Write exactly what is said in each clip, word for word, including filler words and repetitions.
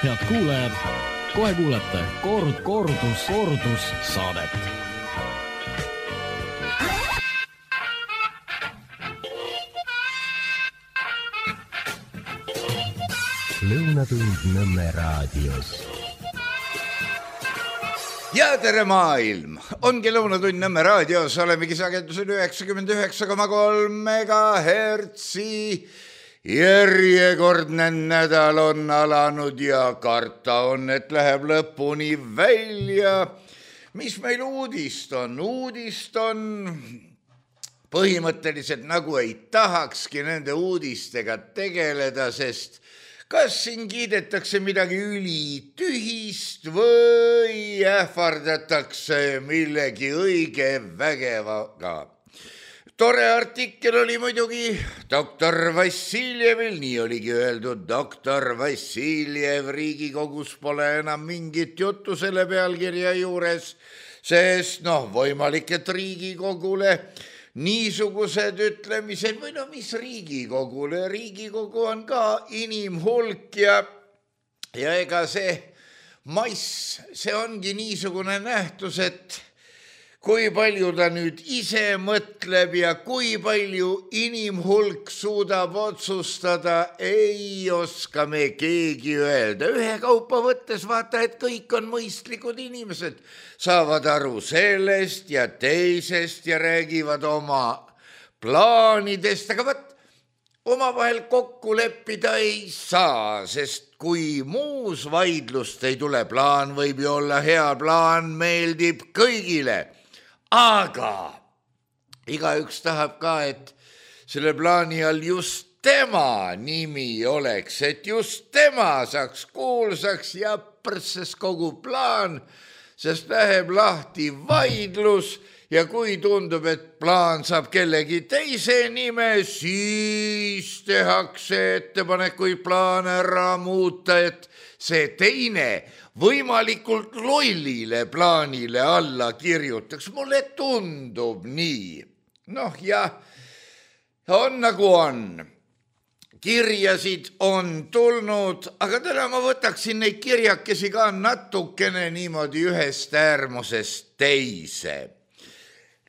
Head kuulajad, kohe kuulete kord, kordus, kordus saadet. Lõunatund Nõmme raadios. Ja tere maailm! Ongi Lõunatund Nõmme raadios, olemegi sagedusel üheksakümmend üheksa koma kolm megahertsi. Järjekordne nädal on alanud ja karta on, et läheb lõpuni välja. Mis meil uudist on? Uudist on põhimõtteliselt nagu ei tahakski nende uudistega tegeleda, sest kas siin kiidetakse midagi ülitühist või ähvardatakse millegi õige vägevaga. Tore artikkel oli muidugi doktor Vassiljevil, nii oligi öeldud, doktor Vassiljev Riigikogus pole enam mingit juttu selle pealkirja juures, sest noh, võimalik, et Riigikogule niisugused ütlemised, või no mis Riigikogule, Riigikogu on ka inimhulk ja, ja ega see mass, see ongi niisugune nähtus, et kui palju ta nüüd ise mõtleb ja kui palju inimhulk suudab otsustada, ei oska me keegi öelda. Ühe kaupa võttes vaata, et kõik on mõistlikud inimesed, saavad aru sellest ja teisest ja räägivad oma plaanidest, aga võt, omavahel kokku leppida ei saa, sest kui muus vaidlust ei tule, plaan võib ju olla hea, plaan meeldib kõigile. Aga igaüks tahab ka, et selle plaani all just tema nimi oleks, et just tema saaks kuulsaks ja prses kogu plaan, sest läheb lahti vaidlus ja kui tundub, et plaan saab kellegi teise nime, siis tehakse ettepanekuid plaane ära muuta, et see teine võimalikult lollile plaanile alla kirjutaks. Mulle tundub nii. Noh, ja on nagu on. Kirjasid on tulnud, aga täna ma võtaksin neid kirjakesi ka natukene niimoodi ühest äärmusest teise.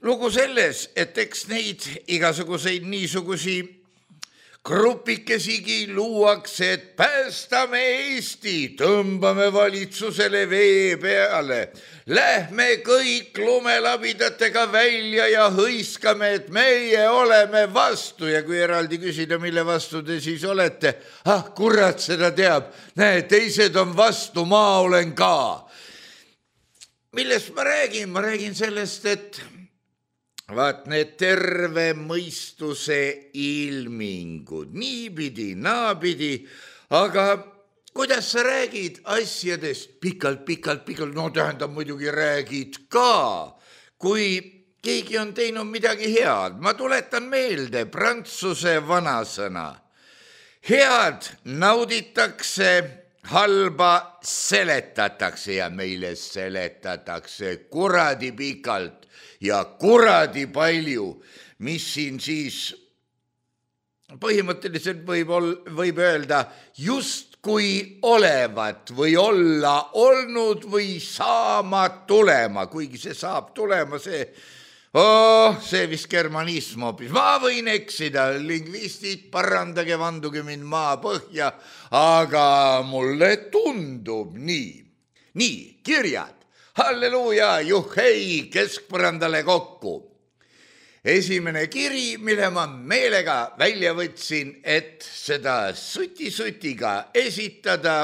Lugu selles, et eks neid igasuguseid niisugusi grupikesigi luuakse, et päästame Eesti, tõmbame valitsusele vee peale, lähme kõik lumelabidatega välja ja hõiskame, et meie oleme vastu. Ja kui eraldi küsida, mille vastu te siis olete, ah, kurat seda teab, näe, teised on vastu, ma olen ka. Millest ma räägin? Ma räägin sellest, et vaat need terve mõistuse ilmingud, niipidi, naapidi, aga kuidas sa räägid asjadest pikalt, pikalt, pikalt, no tähendab muidugi räägid ka, kui keegi on teinud midagi head. Ma tuletan meelde prantsuse vanasõna. Head nauditakse, halba seletatakse ja meile seletatakse kuradi pikalt ja kuradi palju, mis siin siis põhimõtteliselt võib, ol, võib öelda just kui olevat või olla olnud või saama tulema, kuigi see saab tulema, see, oh, see vist germanism hoopis. Ma võin eksida, lingvistid, parandage, vanduge mind maa põhja, aga mulle tundub nii. Nii, kirjad. Halleluuja, juhhei, keskpõrandale kokku. Esimene kiri, mille ma meelega välja võtsin, et seda suti-sutiga esitada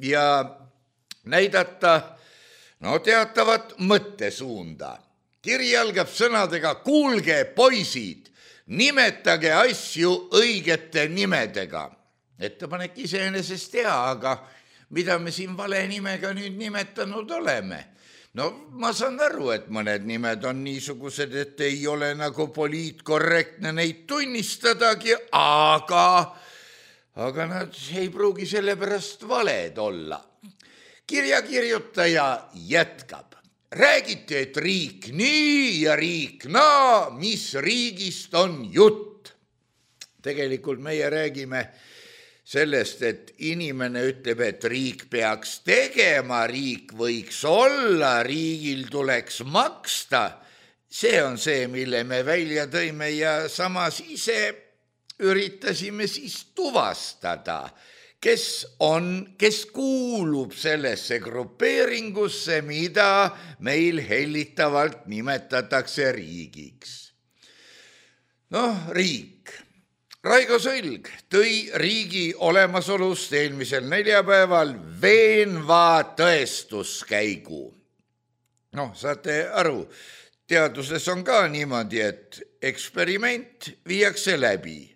ja näidata no, teatavat mõttesuunda. Kiri algab sõnadega, kuulge poisid, nimetage asju õigete nimedega. Ettepanek iseenesest hea, aga mida me siin vale nimega nüüd nimetanud oleme? No ma saan aru, et mõned nimed on niisugused, et ei ole nagu poliitkorrektne neid tunnistadagi, aga, aga nad ei pruugi selle pärast valed olla. Kirjakirjutaja jätkab. Räägiti, et riik nii ja riik naa, mis riigist on jutt. Tegelikult meie räägime sellest, et inimene ütleb, et riik peaks tegema, riik võiks olla, riigil tuleks maksta. See on see, mille me välja tõime ja samas ise üritasime siis tuvastada, kes on, kes kuulub sellesse grupeeringusse, mida meil hellitavalt nimetatakse riigiks. Noh, riik. Raigo Sõlg tõi riigi olemasolust eelmisel neljapäeval veenva tõestuskäigu. Noh, saate aru, teaduses on ka niimoodi, et eksperiment viiakse läbi.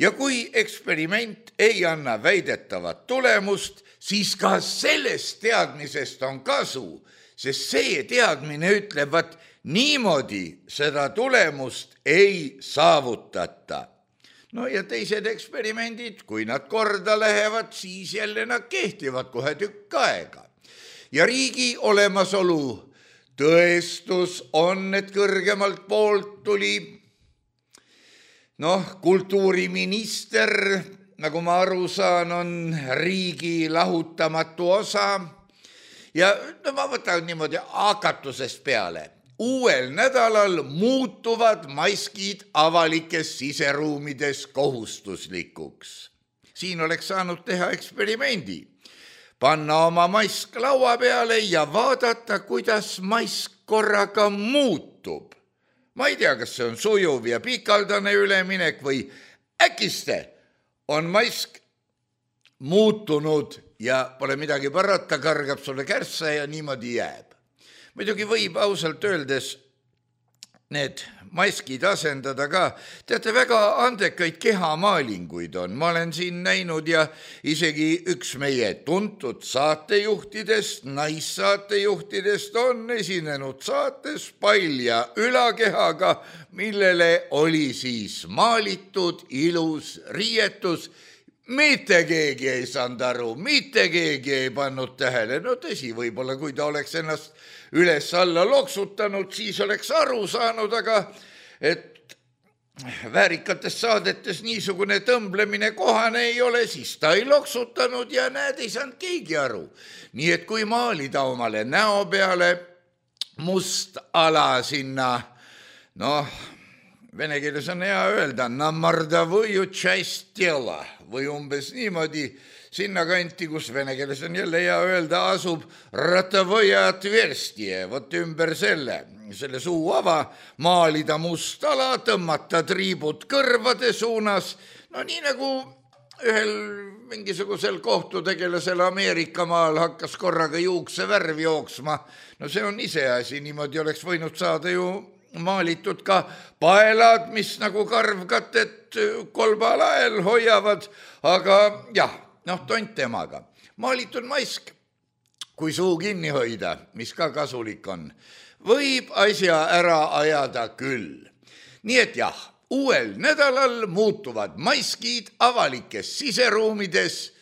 Ja kui eksperiment ei anna väidetavat tulemust, siis ka sellest teadmisest on kasu, sest see teadmine ütleb, et niimoodi seda tulemust ei saavutata. No ja teised eksperimendid, kui nad korda lähevad, siis jälle nad kehtivad kohe tükk aega. Ja riigi olemasolu tõestus on, et kõrgemalt poolt tuli noh, kultuuriminister, nagu ma aru saan, on riigi lahutamatu osa. Ja no, ma võtan niimoodi hakatusest peale. Uuel nädalal muutuvad maskid avalikes siseruumides kohustuslikuks. Siin oleks saanud teha eksperimendi. Panna oma mask laua peale ja vaadata, kuidas mask korraga muutub. Ma ei tea, kas see on sujuv ja pikaldane üleminek või äkiste on mask muutunud ja pole midagi parata, kargab sulle kärssa ja niimoodi jääb. Muidugi võib ausalt öeldes need maskid asendada ka. Teate, väga andekaid kehamaalinguid on. Ma olen siin näinud ja isegi üks meie tuntud saatejuhtidest, naissaatejuhtidest on esinenud saates palja ülakehaga, millele oli siis maalitud ilus riietus. Mitte keegi ei saanud aru, mitte keegi ei pannud tähele. No tõsi, võib-olla kui ta oleks ennast üles alla loksutanud, siis oleks aru saanud, aga et väärikates saadetes niisugune tõmblemine kohane ei ole, siis ta ei loksutanud ja näed, ei saanud keegi aru. Nii et kui maalida omale näo peale must ala sinna, noh, vene keeles on hea öelda, namardavõju tšast tela või umbes niimoodi sinna kanti, kus vene keeles on jälle hea öelda, asub ratavõja atverstie, vot ümber selle, selle suu ava, maalida must ala, tõmmata triibud kõrvade suunas, no nii nagu ühel mingisugusel kohtutegelasel Ameerika maal hakkas korraga juukse värv jooksma, no see on iseasi, niimoodi oleks võinud saada ju maalitud ka paelad, mis nagu karvkatet kolba lael hoiavad, aga jah, noh, tont temaga. Maalitud mask, kui suu kinni hoida, mis ka kasulik on, võib asja ära ajada küll. Nii et jah, uuel nädalal muutuvad maskid avalikes siseruumides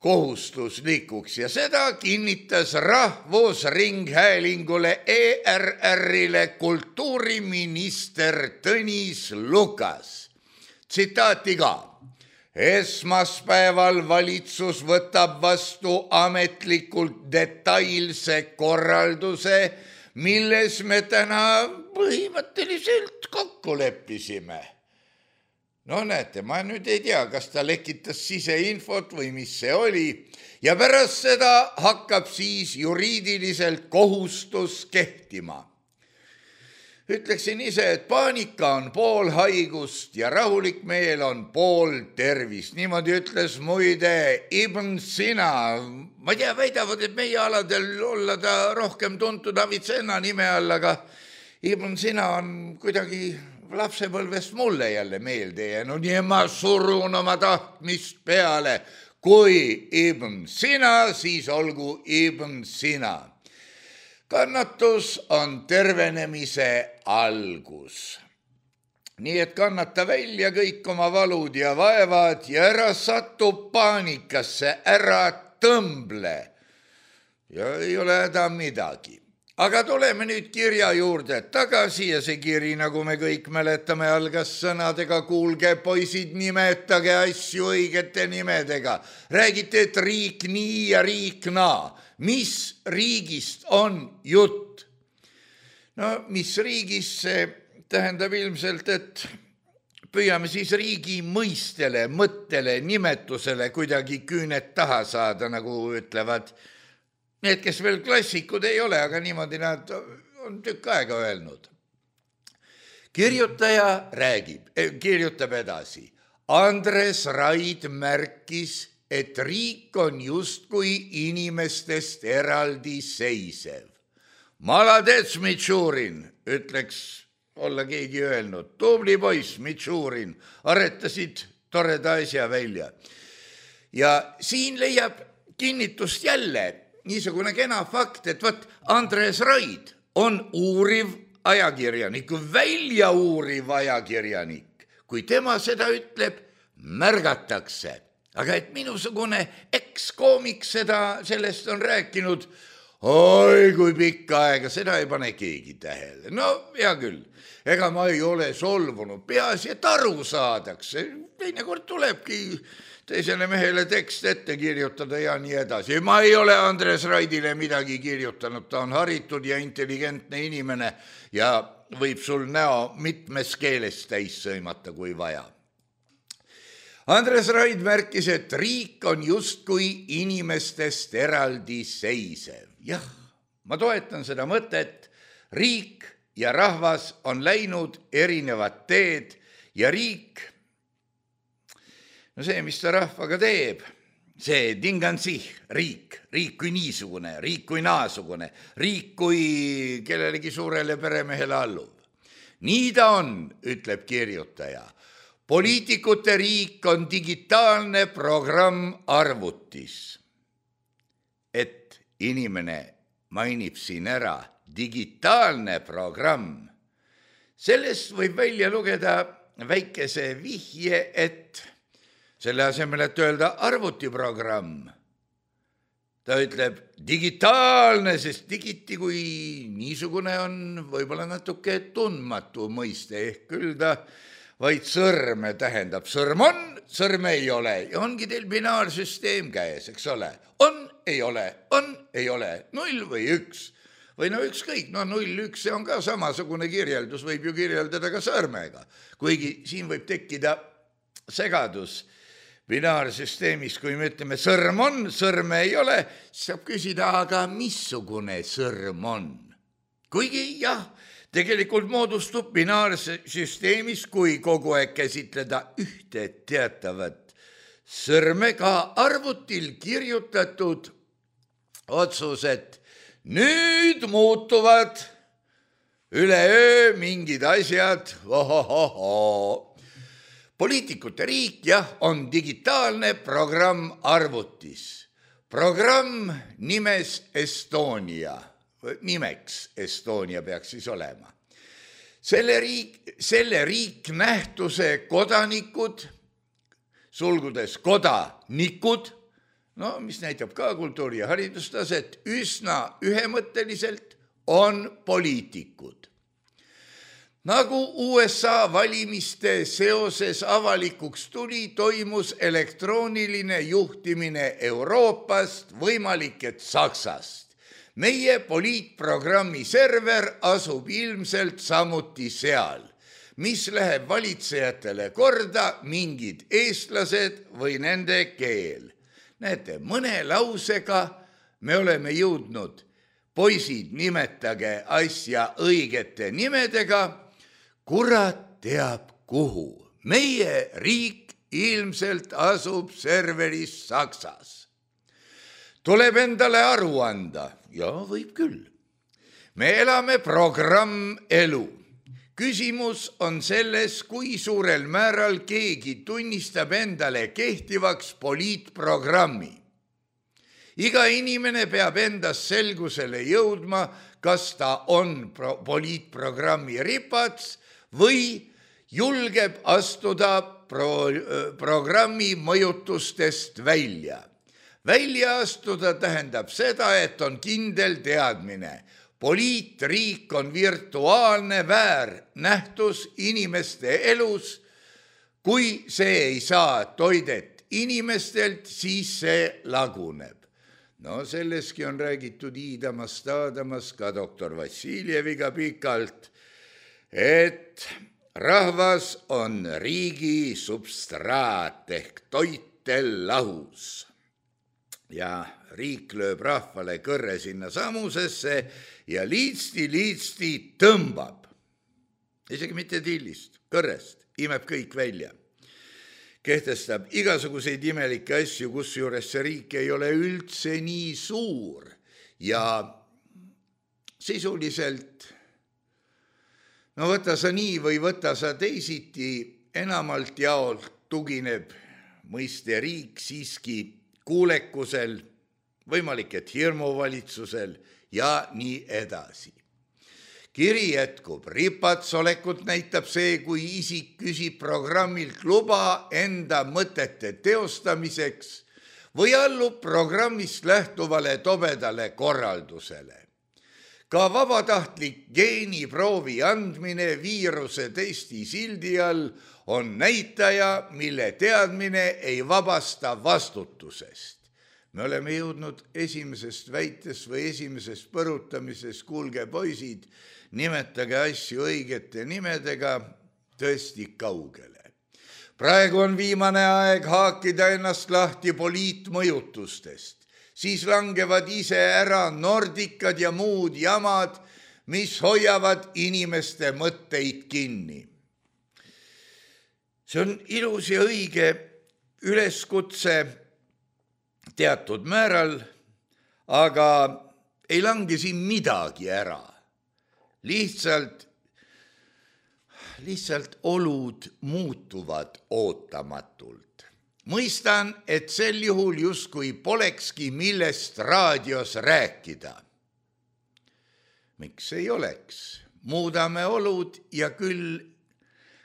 kohustuslikuks ja seda kinnitas Rahvusringhäälingule E R R-ile kultuuriminister Tõnis Lukas. Tsitaati ka. Esmaspäeval valitsus võtab vastu ametlikult detailse korralduse, milles me täna põhimõtteliselt kokku leppisime. No näete, ma nüüd ei tea, kas ta lekitas siseinfot või mis see oli ja pärast seda hakkab siis juriidiliselt kohustus kehtima. Ütleksin ise, et paanika on pool haigust ja rahulik meel on pool tervist. Niimoodi ütles muide Ibn Sina. Ma tea, väidavad, et meie aladel olla ta rohkem tuntud Avicenna nime all, aga Ibn Sina on kuidagi lapsepõlvest mulle jälle meelde jäänud ja ma surun oma tahtmist peale. Kui Ibn Sina, siis olgu Ibn Sina. Kannatus on tervenemise algus. Nii et kannata välja kõik oma valud ja vaevad ja ära satu paanikasse, ära tõmble. Ja ei ole häda midagi. aga tuleme nüüd kirja juurde tagasi ja see kiri, nagu me kõik mäletame, algas sõnadega: kuulge, poisid, nimetage asju õigete nimedega. Räägite, et riik nii ja riik naa. Mis riigist on jutt? No, mis riigist, see tähendab ilmselt, et püüame siis riigi mõistele, mõttele, nimetusele kuidagi küüned taha saada, nagu ütlevad need, kes veel klassikud ei ole, aga niimoodi nad on tükk aega öelnud. Kirjutaja räägib, kirjutab edasi. Andres Raid märkis, et riik on justkui inimestest eraldi seisev. Maladets, Mitšurin, ütleks olla keegi öelnud. Tubli poiss, Mitšurin, aretasid toreda asja välja. Ja siin leiab kinnitust jälle niisugune kena fakt, et võt, Andres Raid on uuriv ajakirjanik, välja uuriv ajakirjanik. Kui tema seda ütleb, märgatakse. Aga et minusugune ekskoomik seda, sellest on rääkinud, oi kui pikka aega, seda ei pane keegi tähele. No, hea küll, ega ma ei ole solvunud, peaasi, et aru saadakse. Teinekord tulebki teisele mehele tekst ette kirjutada ja nii edasi. Ma ei ole Andres Raidile midagi kirjutanud, ta on haritud ja intelligentne inimene ja võib sul näo mitmes keeles täis sõimata, kui vaja. Andres Raid märkis, et riik on justkui inimestest eraldi seisev. Jah, ma toetan seda mõtet, riik ja rahvas on läinud erinevad teed ja riik, no see, mis ta rahvaga teeb, see tingansih, riik, riik kui niisugune, riik kui naasugune, riik kui kellelegi suurele peremehele allub. Nii ta on, ütleb kirjutaja. Poliitikute riik on digitaalne programm arvutis. Et inimene mainib siin ära digitaalne programm. Sellest võib välja lugeda väikese vihje, et selle asemel, et öelda arvutiprogramm, ta ütleb digitaalne, sest digiti kui niisugune on võib-olla natuke tundmatu mõiste, ehk küll ta vaid sõrme tähendab. Sõrm on, sõrme ei ole ja ongi teil binaarsüsteem käes, eks ole. On, ei ole, on, ei ole, null või üks. Või no ükskõik, no null, üks, see on ka samasugune kirjeldus, võib ju kirjeldada ka sõrmega. Kuigi siin võib tekkida segadus binaarsüsteemis, kui me ütleme sõrm on, sõrme ei ole, saab küsida, aga missugune sõrm on? Kuigi jah, tegelikult moodustub binaarsüsteemis, kui kogu aeg käsitleda ühte teatavat sõrme, ka arvutil kirjutatud otsused. Nüüd muutuvad üleöö mingid asjad, ohohoho. Poliitikute riik, jah, on digitaalne programm arvutis. Programm nimes Estonia, nimeks Estonia peaks siis olema. Selle riik, selle riik nähtuse kodanikud, sulgudes kodanikud, no mis näitab ka kultuuri- ja haridustaset, üsna ühemõtteliselt on poliitikud. Nagu U S A valimiste seoses avalikuks tuli, toimus elektrooniline juhtimine Euroopast, võimalik et Saksast. Meie poliitprogrammi server asub ilmselt samuti seal, mis läheb valitsejatele korda mingid eestlased või nende keel. Näete, mõne lausega me oleme jõudnud, poisid, nimetage asja õigete nimedega, kurat teab kuhu. Meie riik ilmselt asub serveris Saksas. Tuleb endale aru anda. Ja, võib küll. Me elame programm elu. Küsimus on selles, kui suurel määral keegi tunnistab endale kehtivaks poliitprogrammi. Iga inimene peab endas selgusele jõudma, kas ta on pro- poliitprogrammi ripats või julgeb astuda pro- programmi mõjutustest välja. Välja astuda tähendab seda, et on kindel teadmine. poliitriik on virtuaalne väärnähtus inimeste elus. Kui see ei saa toidet inimestelt, siis see laguneb. No selleski on räägitud Iidamast, Aadamast, ka doktor Vassiljeviga pikalt, et rahvas on riigi substraat ehk toitel lahus. Ja riik lööb rahvale kõrre sinna samusesse ja liitsti-liitsti tõmbab. Isegi mitte tillist, kõrrest, imeb kõik välja. Kehtestab igasuguseid imelikke asju, kus juures see riik ei ole üldse nii suur ja sisuliselt, no võta sa nii või võta sa teisiti, enamalt jaolt tugineb mõiste riik siiski kuulekusel, võimalik, et hirmuvalitsusel ja nii edasi. Kiri jätkub, ripatsolekut näitab see, kui isik küsib programmilt luba enda mõtete teostamiseks või allub programmist lähtuvale tobedale korraldusele. Ka vabatahtlik geeniproovi andmine viiruse testi sildi all on näitaja, mille teadmine ei vabasta vastutusest. Me oleme jõudnud esimesest väitest või esimesest põrutamisest, kuulge poisid, nimetage asju õigete nimedega, tõesti kaugele. Praegu on viimane aeg haakida ennast lahti poliitmõjutustest, siis langevad ise ära nordikad ja muud jamad, mis hoiavad inimeste mõtteid kinni. See on ilus ja õige üleskutse teatud määral, aga ei lange siin midagi ära. Lihtsalt, lihtsalt olud muutuvad ootamatult. Mõistan, et sel juhul justkui polekski millest raadios rääkida. Miks ei oleks? Muudame olud ja küll,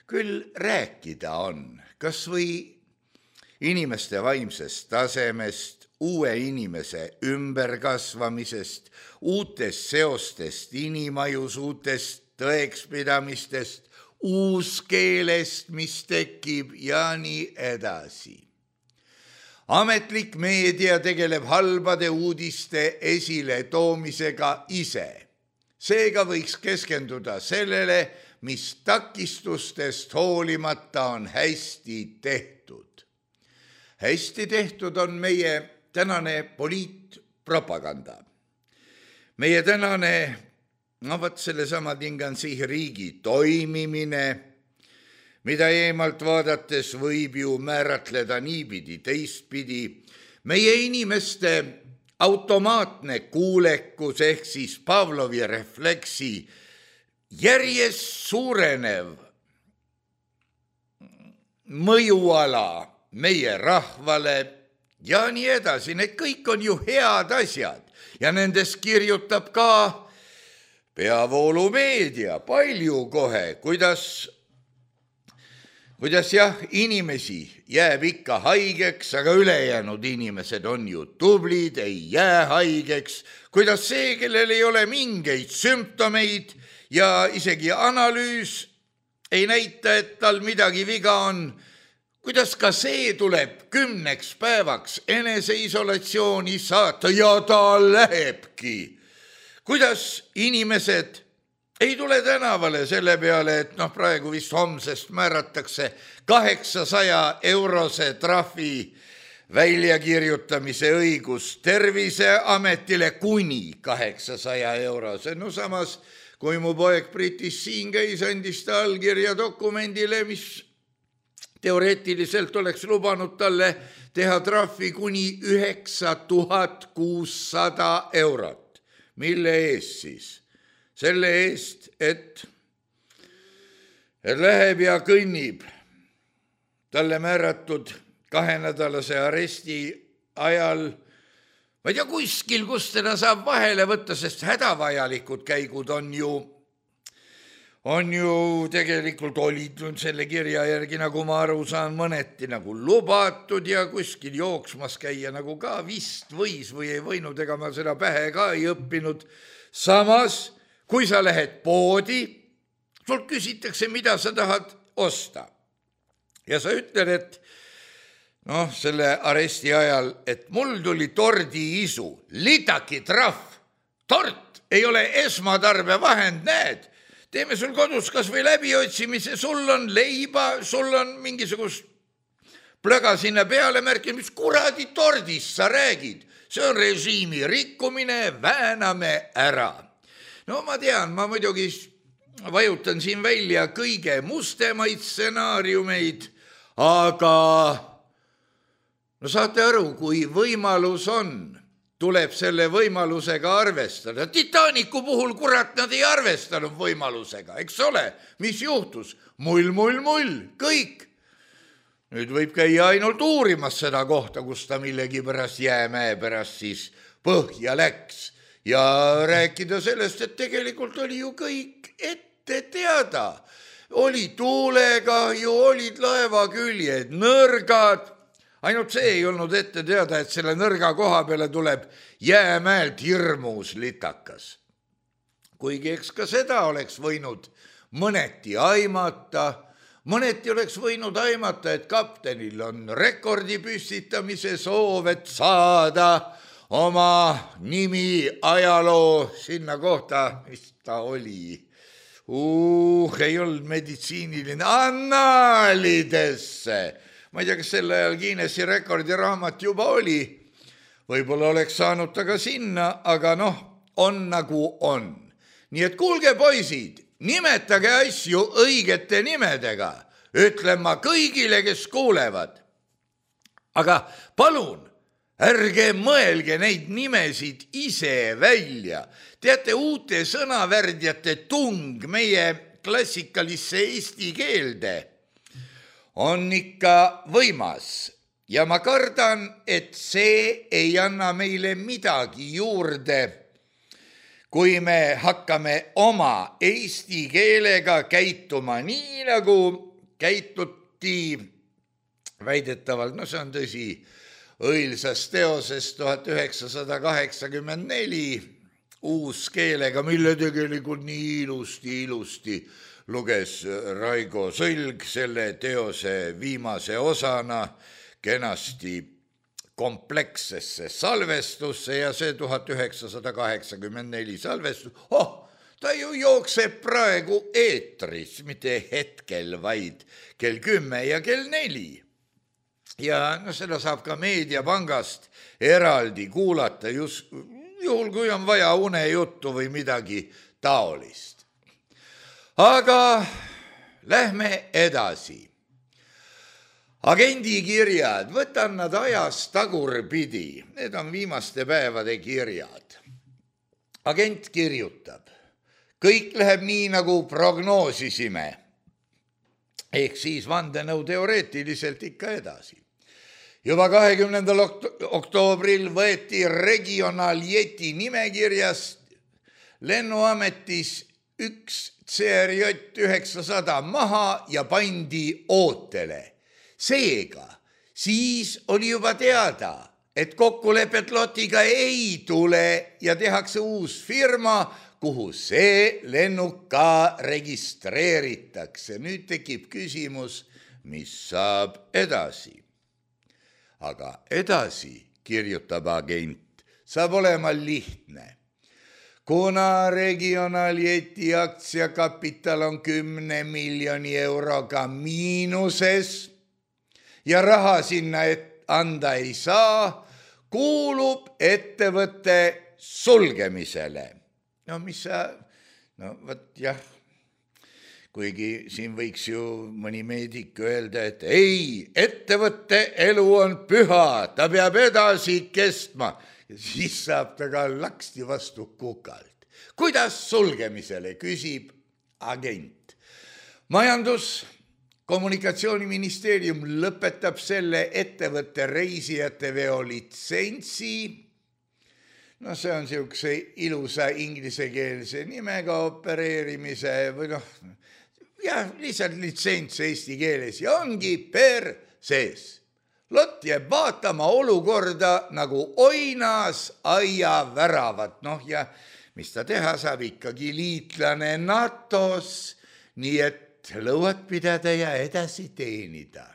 küll rääkida on. Kas või inimeste vaimsest tasemest, uue inimese ümberkasvamisest, uutest seostest inimajus, uutest tõekspidamistest, uuskeelest, mis tekib ja nii edasi. Ametlik meedia tegeleb halbade uudiste esile toomisega ise. Seega võiks keskenduda sellele, mis takistustest hoolimata on hästi tehtud. Hästi tehtud on meie tänane poliitpropaganda. Meie tänane, no võt sellesama tingansi riigi toimimine, mida eemalt vaadates võib ju määratleda niipidi, teistpidi, meie inimeste automaatne kuulekus ehk siis Pavlovi refleksi järjest suurenev mõjuala meie rahvale ja nii edasi. Need kõik on ju head asjad ja nendest kirjutab ka peavoolumeedia palju kohe, kuidas, kuidas jah, inimesi jääb ikka haigeks, aga ülejäänud inimesed on ju tublid, ei jää haigeks, kuidas see, kellel ei ole mingeid sümptomeid ja isegi analüüs ei näita, et tal midagi viga on, kuidas ka see tuleb kümneks päevaks eneseisolatsiooni saata ja ta lähebki. Kuidas inimesed ei tule tänavale selle peale, et noh, praegu vist homsest määratakse kaheksasaja eurose trahvi väljakirjutamise õigus Terviseametile kuni kaheksasaja eurose. No samas, kui mu poeg Britis siin käis, andis ta allkirja dokumendile, mis teoreetiliselt oleks lubanud talle teha trahvi kuni üheksa tuhat kuussada eurot. Mille eest siis? Selle eest, et, et läheb ja kõnnib talle määratud kahenädalase aresti ajal, ma ei tea kuskil, kus teda saab vahele võtta, sest hädavajalikud käigud on ju on ju tegelikult olid selle kirja järgi, nagu ma aru saan, mõneti nagu lubatud ja kuskil jooksmas käia nagu ka vist võis või ei võinud, ega ma seda pähe ka ei õppinud. Samas kui sa lähed poodi, sult küsitakse, mida sa tahad osta. Ja sa ütled, et noh, selle aresti ajal, et mul tuli tordi isu, litaki trahv, tort ei ole esmatarbevahend, näed. Teeme sul kodus kas või läbiotsimise, sul on leiba, sul on mingisugust plöga sinna peale märkida, mis kuradi tordist sa räägid. See on režiimi rikkumine, vääname ära. No ma tean, ma muidugi vajutan siin välja kõige mustemaid stsenaariumeid, aga no saate aru, kui võimalus on, tuleb selle võimalusega arvestada. Titanicu puhul, kurat, nad ei arvestanud võimalusega, eks ole? Mis juhtus? Mull, mull, mull, kõik. Nüüd võib käia ainult uurimas seda kohta, kus ta millegi pärast jäämäe pärast siis põhja läks. Ja rääkida sellest, et tegelikult oli ju kõik ette teada. Oli tuulegahju, olid laevaküljed, nõrgad. Ainult see ei olnud ette teada, et selle nõrga koha peale tuleb jäämäelt hirmus litakas. Kuigi eks ka seda oleks võinud mõneti aimata, mõneti oleks võinud aimata, et kaptenil on rekordi püstitamise soov, et saada oma nimi ajaloo sinna kohta, mis ta oli. Uh, ei olnud meditsiiniline, annaalidesse. Ma ei tea, kas selle ajal Guinessi rekordiraamat juba oli. Võib-olla oleks saanud ta ka sinna, aga noh, on nagu on. Nii et kuulge poisid, nimetage asju õigete nimedega. Ütlen ma kõigile, kes kuulevad. Aga palun, ärge mõelge neid nimesid ise välja. Teate, uute sõnavärdjate tung meie klassikalisse eesti keelde on ikka võimas. Ja ma kardan, et see ei anna meile midagi juurde, kui me hakkame oma eesti keelega käituma nii, nagu käituti väidetavalt, no see on tõsi, õilsas teoses tuhat üheksasada kaheksakümmend neli uus keelega, mille tegelikult nii ilusti, ilusti luges Raigo Sõlg selle teose viimase osana kenasti komplekssesse salvestusse ja see tuhat üheksasada kaheksakümmend neli salvestus, oh, ta ju jookseb praegu eetris, mitte hetkel, vaid kell kümme ja kell neli. Ja no seda saab ka Meediapangast eraldi kuulata, just juhul kui on vaja unejuttu või midagi taolist. Aga lähme edasi. Agendikirjad, võtan nad ajas tagurpidi, need on viimaste päevade kirjad. Agent kirjutab, kõik läheb nii, nagu prognoosisime, ehk siis vandenõu teoreetiliselt ikka edasi. Juba kahekümnendal oktoobril võeti regionaaljeti nimekirjast lennuametis üks C R J üheksasada maha ja pandi ootele. Seega, siis oli juba teada, et kokkulepet lotiga ei tule ja tehakse uus firma, kuhu see lennuk ka registreeritakse. Nüüd tekib küsimus, mis saab edasi. Aga edasi, kirjutab agent, saab olema lihtne. Kuna regionaaljeti aktsiakapital on kümne miljoni euroga miinuses ja raha sinna anda ei saa, kuulub ettevõtte sulgemisele. No mis sa, no võt jah, kuigi siin võiks ju mõni meedik öelda, et ei, ettevõtte elu on püha, ta peab edasi kestma. Ja siis saab ta ka laksti vastu kukalt. Kuidas sulgemisele, küsib agent. Majandus- Kommunikatsiooniministeerium lõpetab selle ettevõtte reisijate veo litsentsi. No see on siukse ilusa inglisekeelse nimega opereerimise või noh, jah, lihtsalt litsents eesti keeles ja ongi per sees. Lott jääb vaatama olukorda nagu oinas aia väravat. Noh ja mis ta teha saab, ikkagi liitlane NATOs, nii et lõuad pidada ja edasi teenida.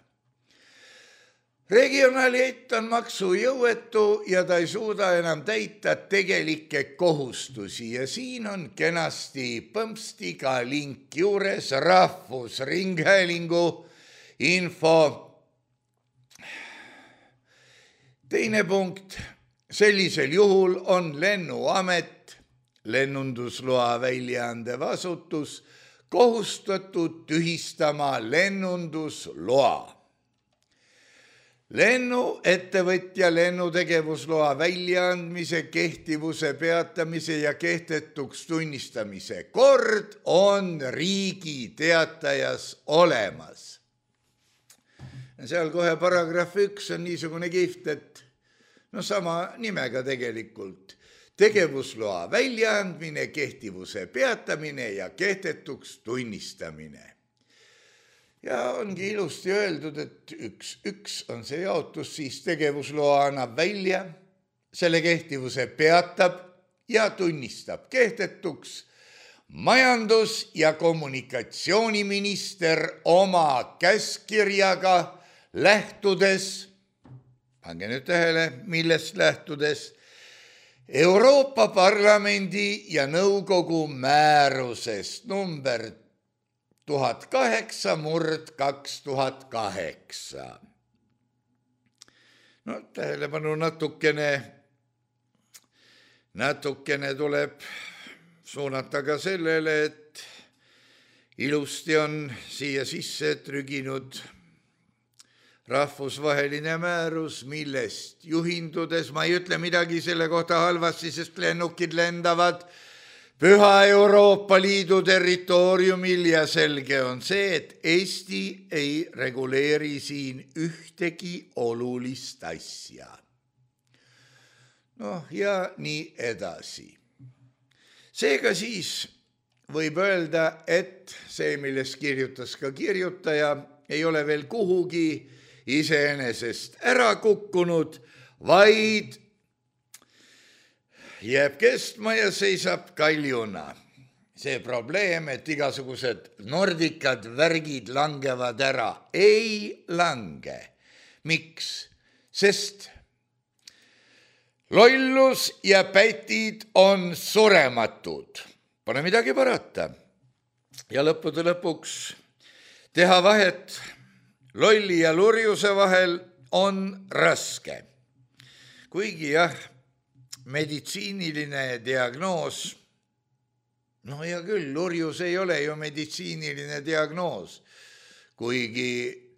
Regionaaliett on maksujõuetu ja ta ei suuda enam täita tegelikke kohustusi ja siin on kenasti põmpstiga link juures Rahvusringhäälingu info. Teine punkt, sellisel juhul on lennuamet, lennundusloa väljaandev asutus, kohustatud tühistama lennundusloa. Lennuettevõtja lennutegevusloa väljaandmise, kehtivuse peatamise ja kehtetuks tunnistamise kord on riigi teatajas olemas. Seal kohe paragrahv üks on niisugune kiht, et no sama nimega tegelikult. Tegevusloa väljaandmine, kehtivuse peatamine ja kehtetuks tunnistamine. Ja ongi ilusti öeldud, et üks, üks on see jaotus, siis tegevusloa annab välja, selle kehtivuse peatab ja tunnistab kehtetuks majandus- ja kommunikatsiooniminister oma käskkirjaga lähtudes, pange nüüd tähele, millest lähtudes, Euroopa Parlamendi ja Nõukogu määrusest number tuhat kaheksa murd kaks tuhat kaheksa. No tähelepanu natukene, natukene tuleb suunata ka sellele, et ilusti on siia sisse trüginud rahvusvaheline määrus, millest juhindudes, ma ei ütle midagi selle kohta halvasti, sest lennukid lendavad Püha Euroopa Liidu territooriumil ja selge on see, et Eesti ei reguleeri siin ühtegi olulist asja. Noh, ja nii edasi. Seega siis võib öelda, et see, millest kirjutas ka kirjutaja, ei ole veel kuhugi iseenesest ära kukkunud, vaid jääb kestma ja seisab kaljuna. See probleem, et igasugused nordikad värgid langevad ära, ei lange. Miks? Sest lollus ja pätid on surematud. Pole midagi parata. Ja lõppude lõpuks teha vahet lolli ja lurjuse vahel on raske. Kuigi jah, meditsiiniline diagnoos, no hea küll, lurjus ei ole ju meditsiiniline diagnoos, kuigi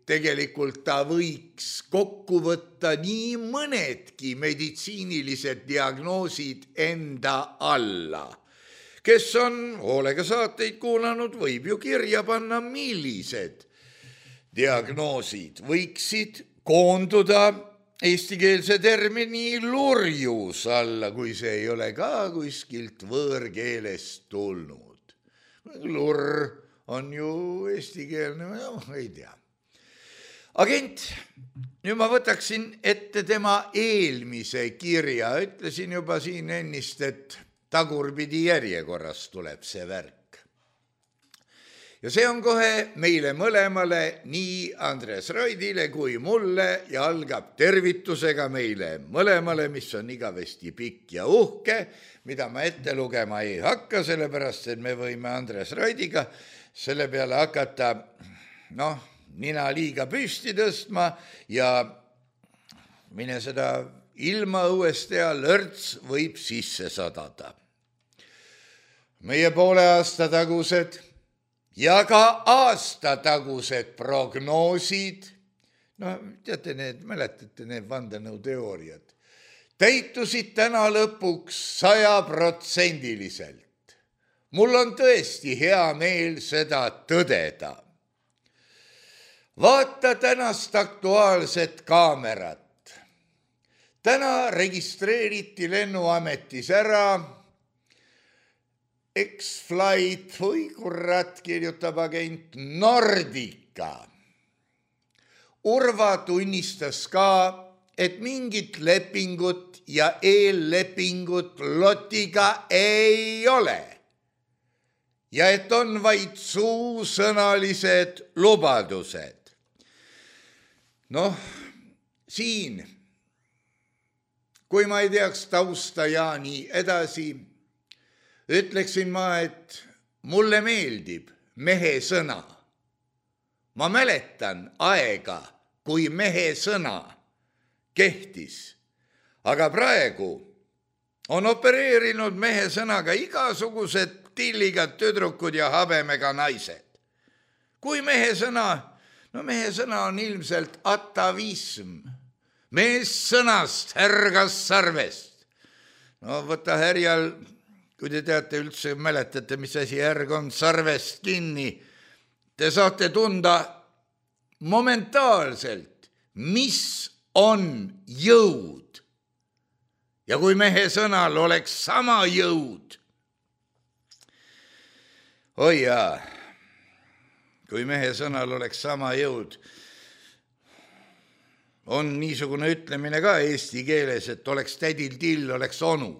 tegelikult ta võiks kokku võtta nii mõnedki meditsiinilised diagnoosid enda alla. Kes on hoolega saateid kuulanud, võib ju kirja panna, millised diagnoosid võiksid koonduda eestikeelse termini lurjus alla, kui see ei ole ka kuskilt võõrkeelest tulnud. Lurr on ju eestikeelne, no, ei tea. Agent, nüüd ma võtaksin ette tema eelmise kirja. Ütlesin juba siin ennist, et tagurpidi järjekorras tuleb see värk. Ja see on kohe meile mõlemale, nii Andres Raidile kui mulle, ja algab tervitusega meile mõlemale, mis on igavesti pikk ja uhke, mida ma ette lugema ei hakka, sellepärast, et me võime Andres Raidiga selle peale hakata, noh, nina liiga püsti tõstma ja mine seda ilma õuest ja lörts võib sisse sadada. Meie poole aasta tagused ja ka aastatagused prognoosid, no teate, need, mäletate need vandenõuteooriad, täitusid täna lõpuks sajaprotsendiliselt. Mul on tõesti hea meel seda tõdeda. Vaata tänast aktuaalset kaamerat. Täna registreeriti lennuametis ära X-Flight, või kurat, kirjutab agent Nordica. Urva tunnistas ka, et mingit lepingut ja eellepingut lotiga ei ole ja et on vaid suusõnalised lubadused. Noh, siin, kui ma ei teaks tausta ja nii edasi, ütleksin ma, et mulle meeldib mehe sõna. Ma mäletan aega, kui mehe sõna kehtis, aga praegu on opereerinud mehe sõnaga igasugused tilligad tüdrukud ja habemega naised. Kui mehe sõna, no mehe sõna on ilmselt atavism, mees sõnast härgas sarvest. No võta härjal, kui te teate üldse, mäletate, mis asi härg on, sarvest kinni, te saate tunda momentaalselt, mis on jõud. Ja kui mehe sõnal oleks sama jõud, oi jaa, kui mehe sõnal oleks sama jõud, on niisugune ütlemine ka eesti keeles, et oleks tädil till, oleks onu.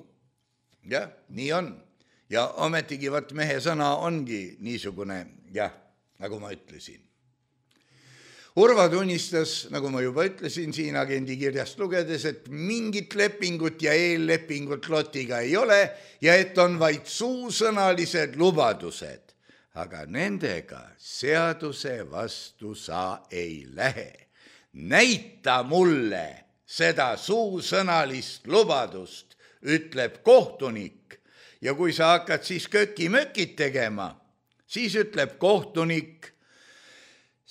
Jah, nii on. Ja ometigi vaat mehe sõna ongi niisugune, jah, nagu ma ütlesin. Urva tunnistas, nagu ma juba ütlesin siin agendi kirjast lugedes, et mingit lepingut ja eellepingut lotiga ei ole ja et on vaid suusõnalised lubadused, aga nendega seaduse vastu sa ei lähe. Näita mulle seda suusõnalist lubadust, ütleb kohtunik, ja kui sa hakkad siis köki-mökid tegema, siis ütleb kohtunik,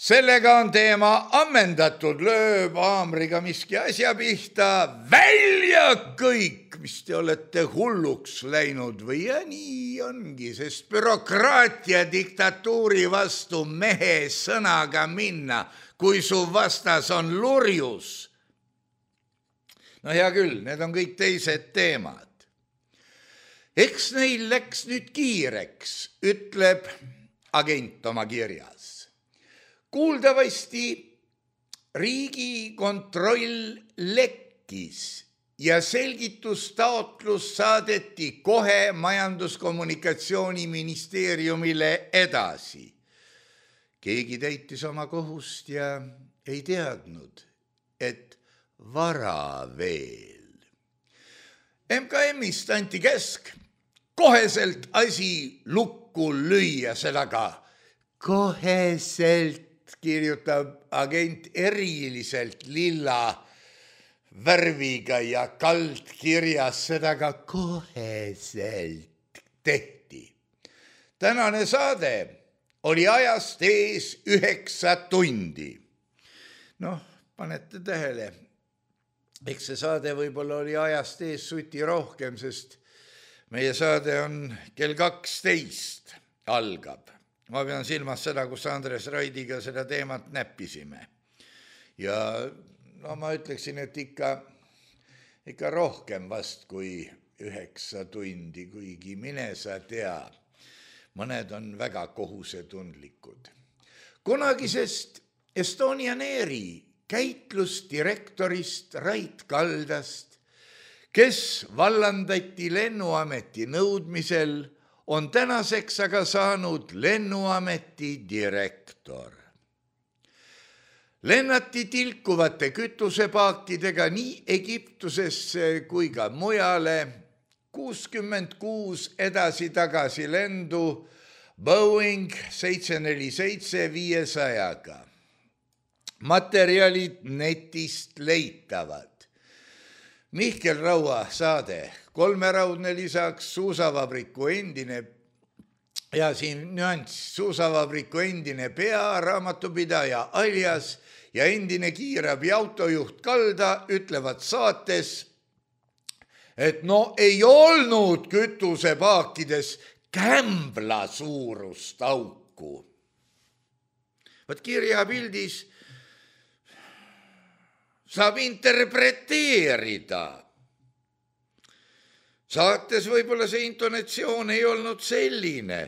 sellega on teema ammendatud, lööb haamriga miski asja pihta, välja kõik, mis te olete hulluks läinud või ja nii ongi, sest bürokraatia diktatuuri vastu mehe sõnaga minna, kui su vastas on lurjus. No hea küll, need on kõik teised teemad. Eks neil läks nüüd kiireks, ütleb agent oma kirjas. Kuuldavasti Riigikontroll lekkis ja selgitustaotlus saadeti kohe Majandus-Kommunikatsiooniministeeriumile edasi. Keegi täitis oma kohust ja ei teadnud, et vara veel. M K M-ist anti käsk koheselt asi lukku lüüa, seda ka koheselt, kirjutab agent eriliselt lilla värviga ja kaldkirjas, seda ka koheselt tehti. Tänane saade oli ajast ees üheksa tundi. Noh, panete tähele, eks see saade võib-olla oli ajast ees suti rohkem, sest meie saade on kell kaksteist algab. Ma pean silmas seda, kus Andres Raidiga seda teemat näppisime. Ja no ma ütleksin, et ikka, ikka rohkem vast kui üheksa tundi, kuigi mine sa tea. Mõned on väga kohusetundlikud. Kunagisest Estonian Airi käitlusdirektorist Rait Kaldast, kes vallandati lennuameti nõudmisel, on tänaseks aga saanud lennuameti direktor. Lennati tilkuvate kütusepaakidega nii Egiptusesse kui ka mujale, kuuskümmend kuus edasi-tagasi lendu Boeing seitse neli seitse viiesajaga. Materjalid netist leitavad. Mihkel Raua saade, kolmeraudne lisaks suusavabriku endine, ja siin nüanss, suusavabriku endine pearaamatupidaja alias ja endine kiirabi autojuht Kalda ütlevad saates, et no ei olnud kütusepaakides kämbla suurust auku. Võt kirjapildis saab interpreteerida. Saates võib-olla see intonatsioon ei olnud selline,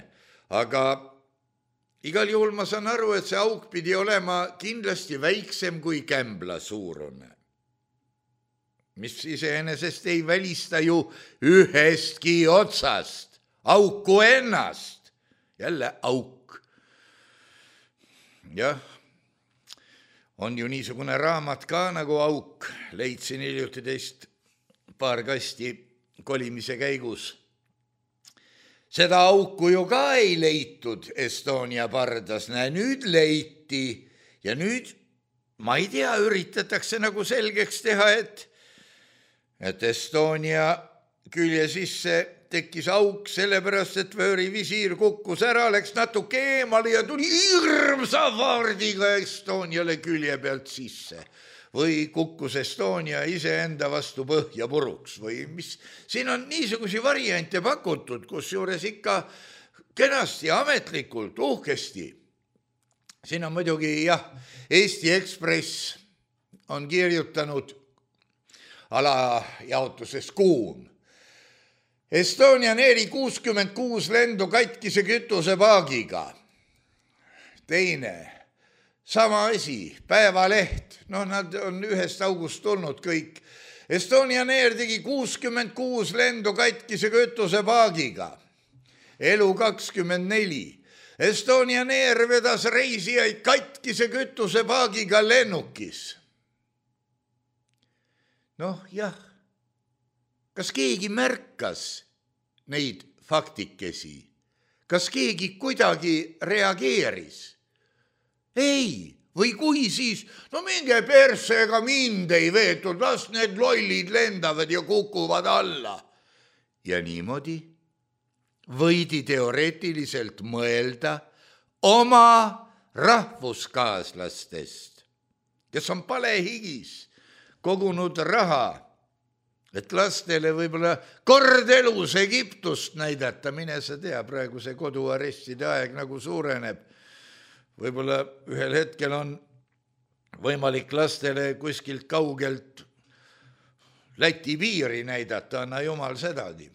aga igal juhul ma saan aru, et see auk pidi olema kindlasti väiksem kui kämbla suurune. mis iseenesest ei välista ju ühestki otsast auku ennast. Jälle auk. Jah, on ju niisugune raamat ka nagu Auk. Leidsin hiljuti teist paar kasti kolimise käigus. Seda auku ju ka ei leitud Estonia pardas. Näe, nüüd leiti ja nüüd, ma ei tea, üritatakse nagu selgeks teha, et, et Estonia külje sisse tekkis auk sellepärast, et vöörivisiir kukkus ära, läks natuke eemale ja tuli hirmsa vaardiga Estoniale külje pealt sisse. Või kukkus Estonia iseenda vastu põhja puruks või mis. Siin on niisugusi variante pakutud, kus juures ikka kenasti, ametlikult, uhkesti. Siin on muidugi, jah, Eesti Ekspress on kirjutanud alajaotuses Kuum. Estonian Airi kuuskümmend kuus lendu katkise kütuse paagiga. Teine, sama asi, Päevaleht, no nad on ühest august tulnud kõik. Estonian Air tegi kuuskümmend kuus lendu katkise kütuse paagiga. Elu kakskümmend neli. Estonian Air vedas reisijaid katkise kütuse paagiga lennukis. Noh, jah. Kas keegi märkas neid faktikesi? Kas keegi kuidagi reageeris? Ei, või kui siis, no minge persse, ega mind ei veetud, las need lollid lendavad ja kukuvad alla. Ja niimoodi võidi teoreetiliselt mõelda oma rahvuskaaslastest, kes on palehigis kogunud raha, et lastele võib-olla kord elus Egiptust näidata, mine sa tea, praegu see koduarestide aeg nagu suureneb. Võib-olla ühel hetkel on võimalik lastele kuskilt kaugelt Läti piiri näidata, anna jumal sedagi.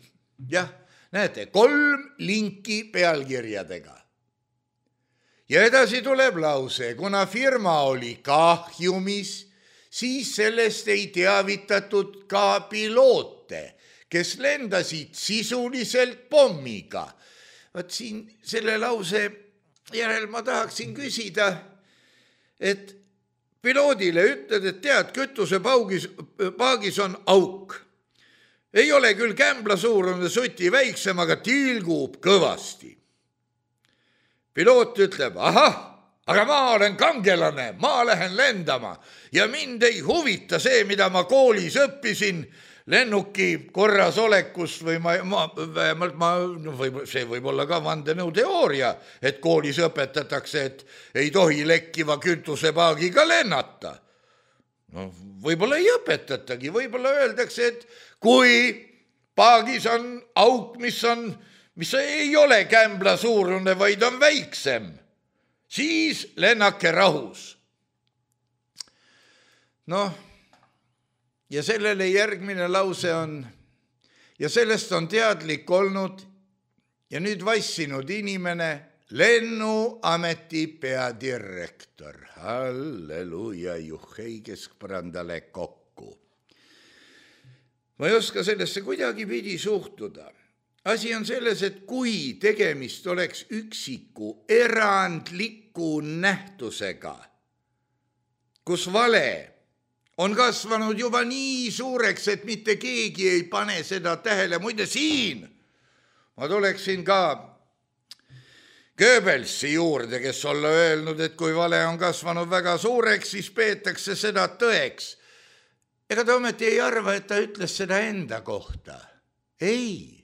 Jah, näete, kolm linki pealkirjadega. Ja edasi tuleb lause, kuna firma oli kahjumis, siis sellest ei teavitatud ka piloote, kes lendasid sisuliselt pommiga. Vaat siin selle lause järel ma tahaksin küsida, et piloodile ütled, et tead, kütuse paugis, paagis on auk. Ei ole küll kämbla suurune suti väiksem, aga tilgub kõvasti. Piloot ütleb, ahah, aga ma olen kangelane, ma lähen lendama ja mind ei huvita see, mida ma koolis õppisin lennuki korrasolekust või ma, ma, vähemalt ma, või, see võib olla ka vandenõuteooria, et koolis õpetatakse, et ei tohi lekkiva kütusepaagiga lennata. No, võib-olla ei õpetatagi, võib-olla öeldakse, et kui paagis on auk, mis, on, mis ei ole kämbla suurune, vaid on väiksem, siis lennake rahus. Noh, ja sellele järgmine lause on, ja sellest on teadlik olnud ja nüüd vassinud inimene, lennuameti peadirektor. Halleluja, juhhei keskpõrandale kokku. Ma ei oska sellesse kuidagi pidi suhtuda. Asi on selles, et kui tegemist oleks üksiku erandliku nähtusega, kus vale on kasvanud juba nii suureks, et mitte keegi ei pane seda tähele. Muide siin ma tuleksin ka Goebbelsi juurde, kes olla öelnud, et kui vale on kasvanud väga suureks, siis peetakse seda tõeks. Ega ta ometi ei arva, et ta ütles seda enda kohta. Ei.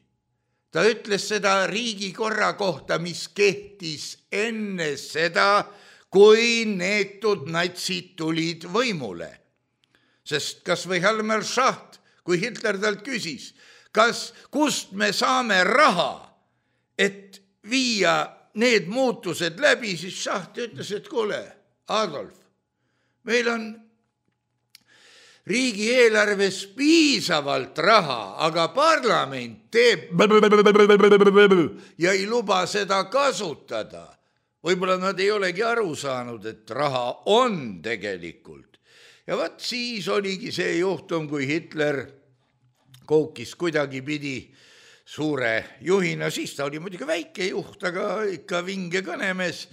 Ta ütles seda riigikorra kohta, mis kehtis enne seda, kui neetud natsid tulid võimule. Sest kas või Helmer Schacht, kui Hitler talt küsis, kas kust me saame raha, et viia need muutused läbi, siis Schacht ütles, et kuule, Adolf, meil on riigieelarves piisavalt raha, aga parlament teeb ja ei luba seda kasutada. Võib-olla nad ei olegi aru saanud, et raha on tegelikult ja võt siis oligi see juhtum, kui Hitler koukis kuidagi pidi suure juhina, siis ta oli muidugi väike juht, aga ikka vinge kõnemees,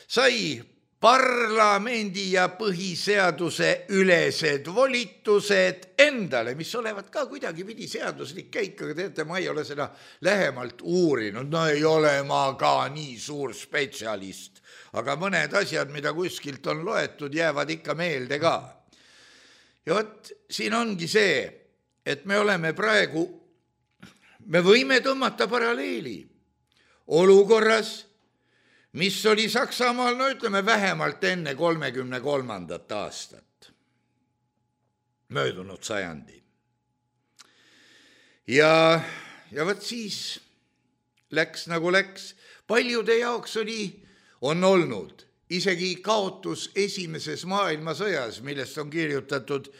sai parlamendi ja põhiseaduse ülesed volitused endale, mis olevat ka kuidagi pidi seaduslik käik, aga teate, ma ei ole seda lähemalt uurinud, no ei ole ma ka nii suur spetsialist, aga mõned asjad, mida kuskilt on loetud, jäävad ikka meelde ka. Ja võt, siin ongi see, et me oleme praegu, me võime tõmmata paralleeli olukorras, mis oli Saksamaal, no ütleme vähemalt enne kolmekümne kolmandat aastat, möödunud sajandi. Ja, ja võt siis läks nagu läks, paljude jaoks oli, on olnud isegi kaotus esimeses maailmasõjas, millest on kirjutatud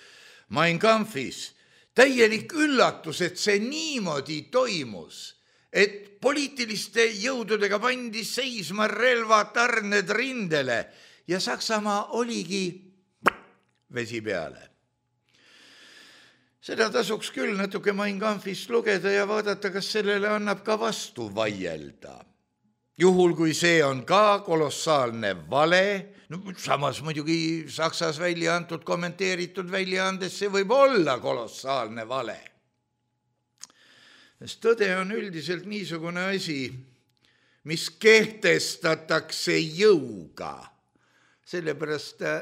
Mein Kampfis, täielik üllatus, et see niimoodi toimus, et poliitiliste jõududega pandi seisma relvatarned rindele ja Saksamaa oligi vesi peale. Seda tasuks küll natuke Mein Kampfist lugeda ja vaadata, kas sellele annab ka vastu vaielda. Juhul, kui see on ka kolossaalne vale, no samas muidugi Saksas välja antud kommenteeritud väljaandes, see võib olla kolossaalne vale. Sest tõde on üldiselt niisugune asi, mis kehtestatakse jõuga. Sellepärast ta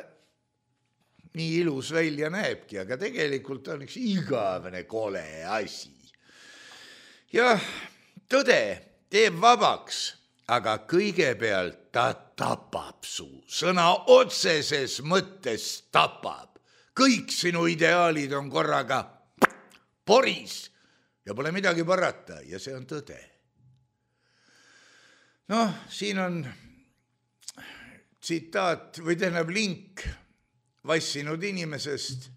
nii ilus välja näebki, aga tegelikult on üks igavene kole asi. Ja tõde teeb vabaks, aga kõigepealt ta tapab su. Sõna otseses mõttes tapab. Kõik sinu ideaalid on korraga poris. Ja pole midagi parata ja see on tõde. Noh, siin on tsitaat või tähendab link vassinud inimesest.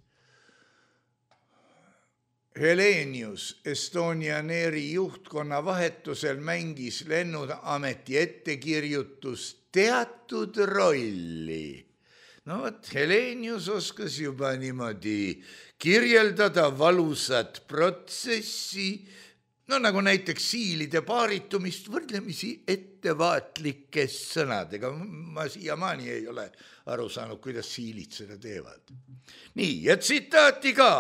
Helenius Estonian Airi juhtkonna vahetusel mängis lennuameti ettekirjutus teatud rolli. No võt, Helenius oskas juba niimoodi kirjeldada valusat protsessi, no nagu näiteks siilide paaritumist võrdlemisi ettevaatlike sõnadega. Ma siiamaani ei ole aru saanud, kuidas siilid seda teevad. Nii, ja tsitaati ka,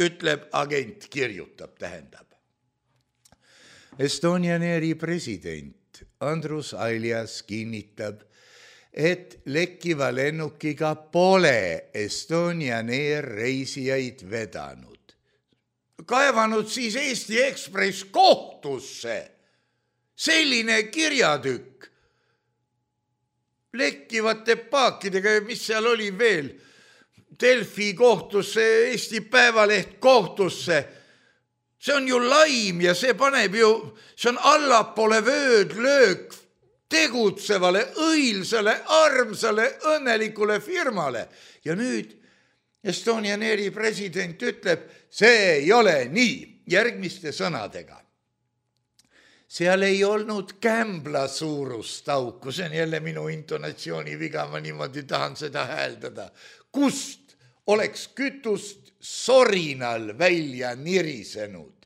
ütleb agent, kirjutab, tähendab. Estonian Airi president Andrus Aljas kinnitab, et lekkiva lennukiga pole Estonian Air reisijaid vedanud. Kaevanud siis Eesti Ekspress kohtusse. Selline kirjatükk. Lekkivate paakidega, mis seal oli veel. Delfi kohtusse, Eesti Päevaleht kohtusse. See on ju laim ja see paneb ju, see on allapoole vöödlöök tegutsevale, õilsale, armsale, õnnelikule firmale. Ja nüüd Estonian Airi president ütleb, see ei ole nii, järgmiste sõnadega. Seal ei olnud kämbla suurust auku, see on jälle minu intonatsiooni viga, ma niimoodi tahan seda hääldada. Kust oleks kütust sorinal välja nirisenud?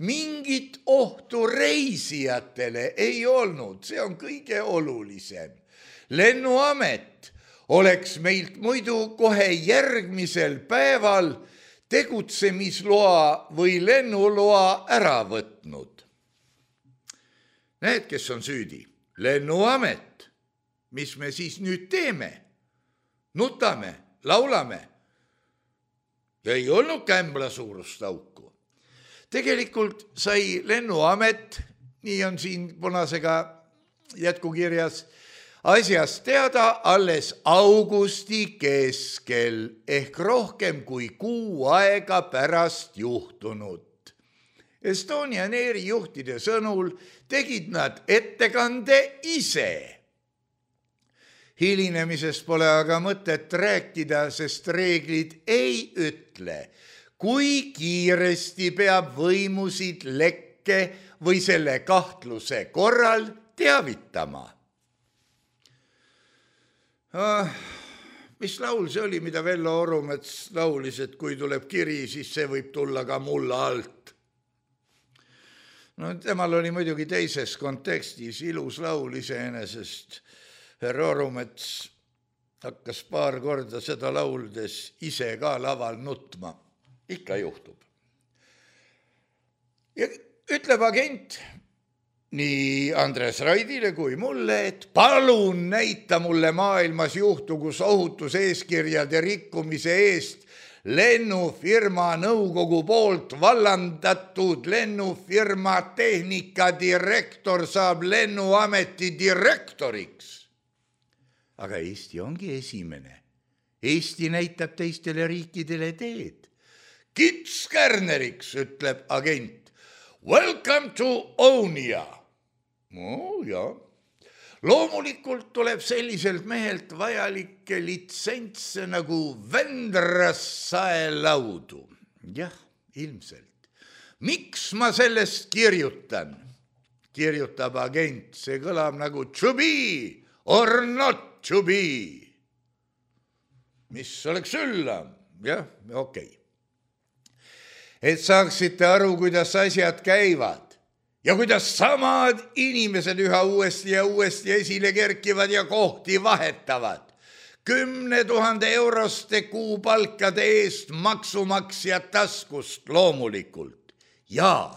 Mingit ohtu reisijatele ei olnud, see on kõige olulisem. Lennuamet oleks meilt muidu kohe järgmisel päeval tegutsemisloa või lennuloa ära võtnud. Need, kes on süüdi, lennuamet, mis me siis nüüd teeme? Nutame, laulame. Ja ei olnud kämbla suurust auku. Tegelikult sai lennuamet, nii on siin punasega jätkukirjas, asjast teada alles augusti keskel ehk rohkem kui kuu aega pärast juhtunut. Estonian Airi juhtide sõnul tegid nad ettekande ise. Hilinemisest pole aga mõtet rääkida, sest reeglid ei ütle, kui kiiresti peab võimusid lekke või selle kahtluse korral teavitama. mis laul see oli, mida Vello Orumets laulis, et kui tuleb kiri, siis see võib tulla ka mulla alt. No temal oli muidugi teises kontekstis ilus laul iseenesest. Herr Orumets hakkas paar korda seda lauldes ise ka laval nutma. Ikka juhtub. Ja ütleb agent nii Andres Raidile kui mulle, et palun näita mulle maailmas juhtu, kus ohutuseeskirjade rikkumise eest lennufirma nõukogu poolt vallandatud lennufirma tehnikadirektor saab lennuameti direktoriks. Aga Eesti ongi esimene. Eesti näitab teistele riikidele teed. Kits Kärneriks, ütleb agent. Welcome to Onia. No, ja. Loomulikult tuleb selliselt mehelt vajalikke litsentse nagu Vändras saelaudu. Jah, ilmselt. Miks ma sellest kirjutan? Kirjutab agent. See kõlab nagu to be or not to be. Mis oleks üllam? Jah, okei. Okay. Et saaksite aru, kuidas asjad käivad. Ja kuidas samad inimesed üha uuesti ja uuesti esile kerkivad ja kohti vahetavad. Kümne tuhande euroste kuupalkade eest maksumaksja taskust loomulikult. Ja,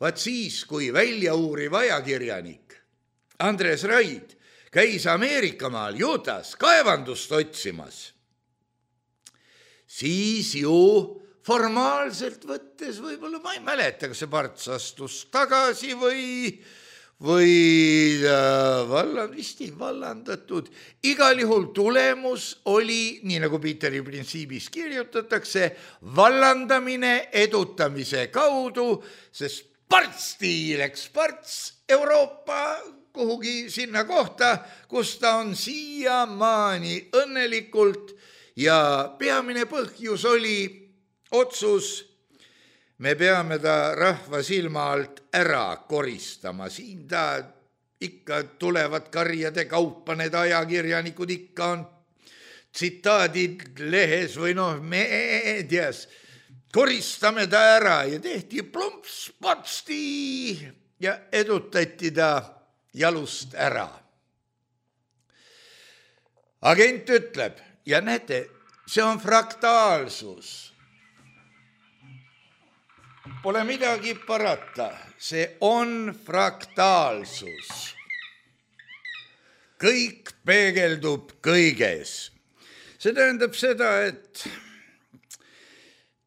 vaat siis, kui väljauuriv ajakirjanik Andres Raid käis Ameerikamaal Utah's kaevandust otsimas, siis ju formaalselt võttes võib-olla, ma ei mäleta, kas see parts astus tagasi või, või äh, vallan, vist ei vallandatud. Igal juhul tulemus oli, nii nagu Peteri printsiibis kirjutatakse, vallandamine edutamise kaudu, sest partsti läks parts Euroopa kuhugi sinna kohta, kus ta on siiamaani õnnelikult ja peamine põhjus oli otsus, me peame ta rahva silma alt ära koristama. Siin ta ikka tulevad karjade kaupa, need ajakirjanikud ikka on tsitaadid lehes või noh, meedias. Koristame ta ära ja tehti plumps patsti ja edutati ta jalust ära. Agent ütleb, ja näete, see on fraktaalsus. Pole midagi parata, see on fraktaalsus. Kõik peegeldub kõiges. See tähendab seda, et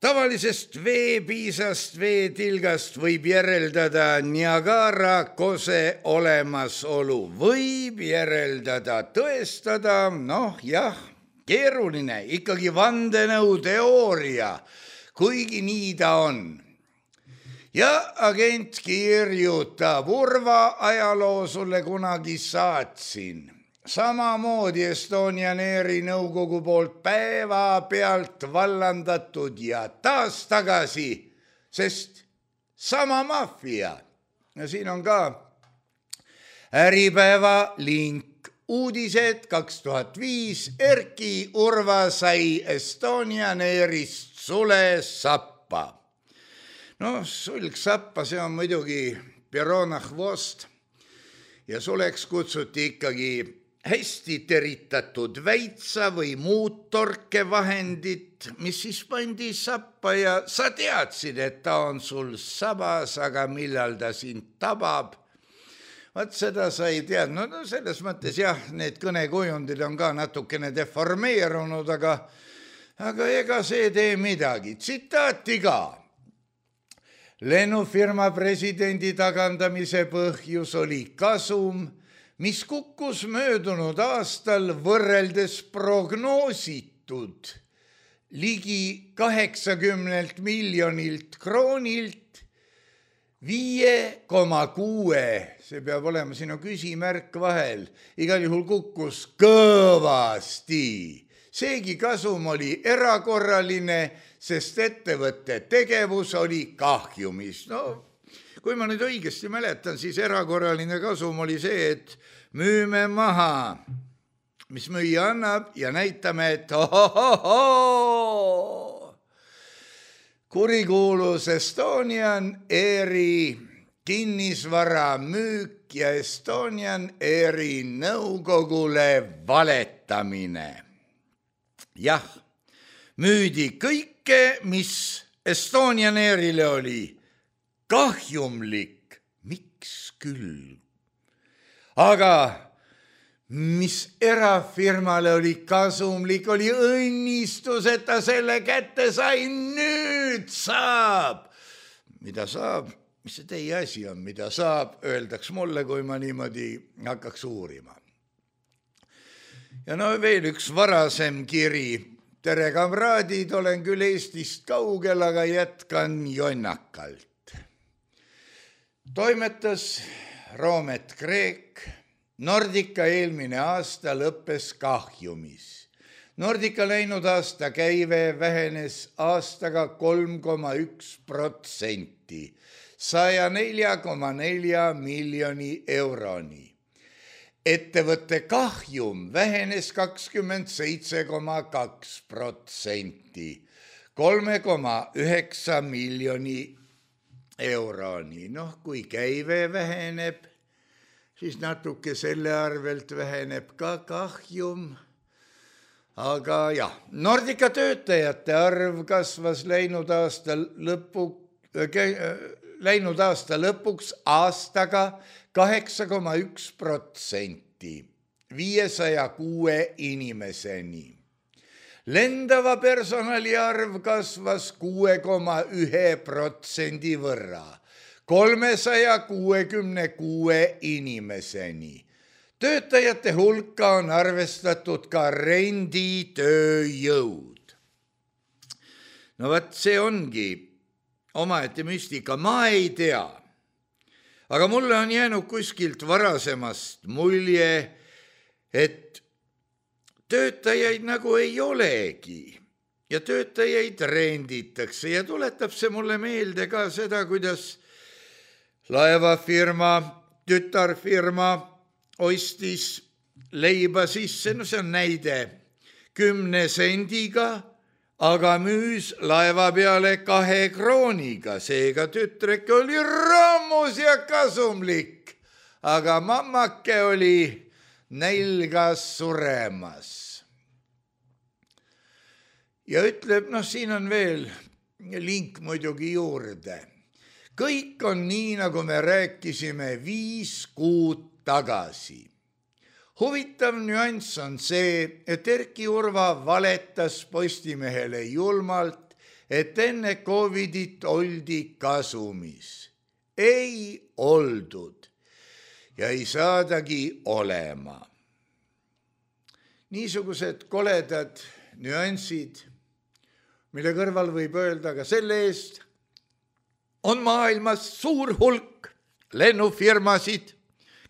tavalisest veepiisast, veetilgast võib järeldada Niagara kose olemasolu. Võib järeldada, tõestada, noh jah, keeruline, ikkagi vandenõuteooria, kuigi nii ta on. Ja agent kirjutab, Urva ajaloo sulle kunagi saatsin. Samamoodi Estonian Airi nõukogu poolt päeva pealt vallandatud ja taas tagasi, sest sama maffia. Ja siin on ka Äripäeva link. Uudised kaks tuhat viis. Erki Urva sai Estonian Airist sule sappa. No, sulg sappa, see on muidugi Perona Hvost ja suleks kutsuti ikkagi hästi teritatud väitsa või muud torkevahendit, mis siis pandi sappa ja sa teadsid, et ta on sul sabas, aga millal ta sind tabab. Vaat seda sa ei tead. No, no selles mõttes jah, need kõnekujundid on ka natukene deformeerunud, aga, aga ega see tee midagi. Tsitaati ka. Lennufirma presidendi tagandamise põhjus oli kasum, mis kukkus möödunud aastal võrreldes prognoositud ligi kaheksakümnelt miljonilt kroonilt viie koma kuue, see peab olema sinu küsimärk vahel, igal juhul kukkus kõvasti. Seegi kasum oli erakorraline, sest ettevõtte tegevus oli kahjumis. No, kui ma nüüd õigesti mäletan, siis erakorraline kasum oli see, et müüme maha, mis müüa annab ja näitame, et ohohoho, kurikuulus Estonian Airi kinnisvara müük ja Estonian Airi nõukogule valetamine. Jah, müüdi kõike, mis Estonian Airile oli kahjumlik, miks küll. Aga mis erafirmale oli kasumlik, oli õnnistus, et ta selle kätte sai, nüüd saab. Mida saab? Mis see teie asi on, mida saab, öeldaks mulle, kui ma niimoodi hakkaks uurima. Ja no veel üks varasem kiri. Tere, kamraadid, olen küll Eestist kaugel, aga jätkan jonnakalt. Toimetas Roomet Kreek. Nordica eelmine aasta lõppes kahjumis. Nordica läinud aasta käive vähenes aastaga kolm koma üks protsenti, saja nelja koma nelja miljoni euroni. Ettevõtte kahjum vähenes kakskümmend seitse koma kaks protsenti, kolm koma üheksa miljoni euroni. Noh, kui käive väheneb, siis natuke selle arvelt väheneb ka kahjum. Aga jah, Nordica töötajate arv kasvas läinud aasta, lõpu, läinud aasta lõpuks aastaga kaheksa koma üks protsenti, viiesaja kuue inimeseni. Lendava personali arv kasvas kuue koma ühe protsendi võrra, kolmesaja kuuekümne kuue inimeseni. Töötajate hulka on arvestatud ka renditööjõud. No vaat see ongi omaette müstika, ma ei tea. Aga mulle on jäänud kuskilt varasemast mulje, et töötajaid nagu ei olegi ja töötajaid renditakse ja tuletab see mulle meelde ka seda, kuidas laevafirma, tütarfirma ostis leiba sisse, no see on näide, kümne sendiga, aga müüs laeva peale kahe krooniga, seega tütreke oli rammus ja kasumlik, aga mammake oli nälgas suremas. Ja ütleb, noh, siin on veel link muidugi juurde. Kõik on nii, nagu me rääkisime viis kuud tagasi. Huvitav nüanss on see, et Erki Urva valetas Postimehele julmalt, et enne Covidit oldi kasumis. Ei oldud ja ei saadagi olema. Niisugused koledad nüansid, mille kõrval võib öelda ka selle eest, on maailmas suur hulk lennufirmasid,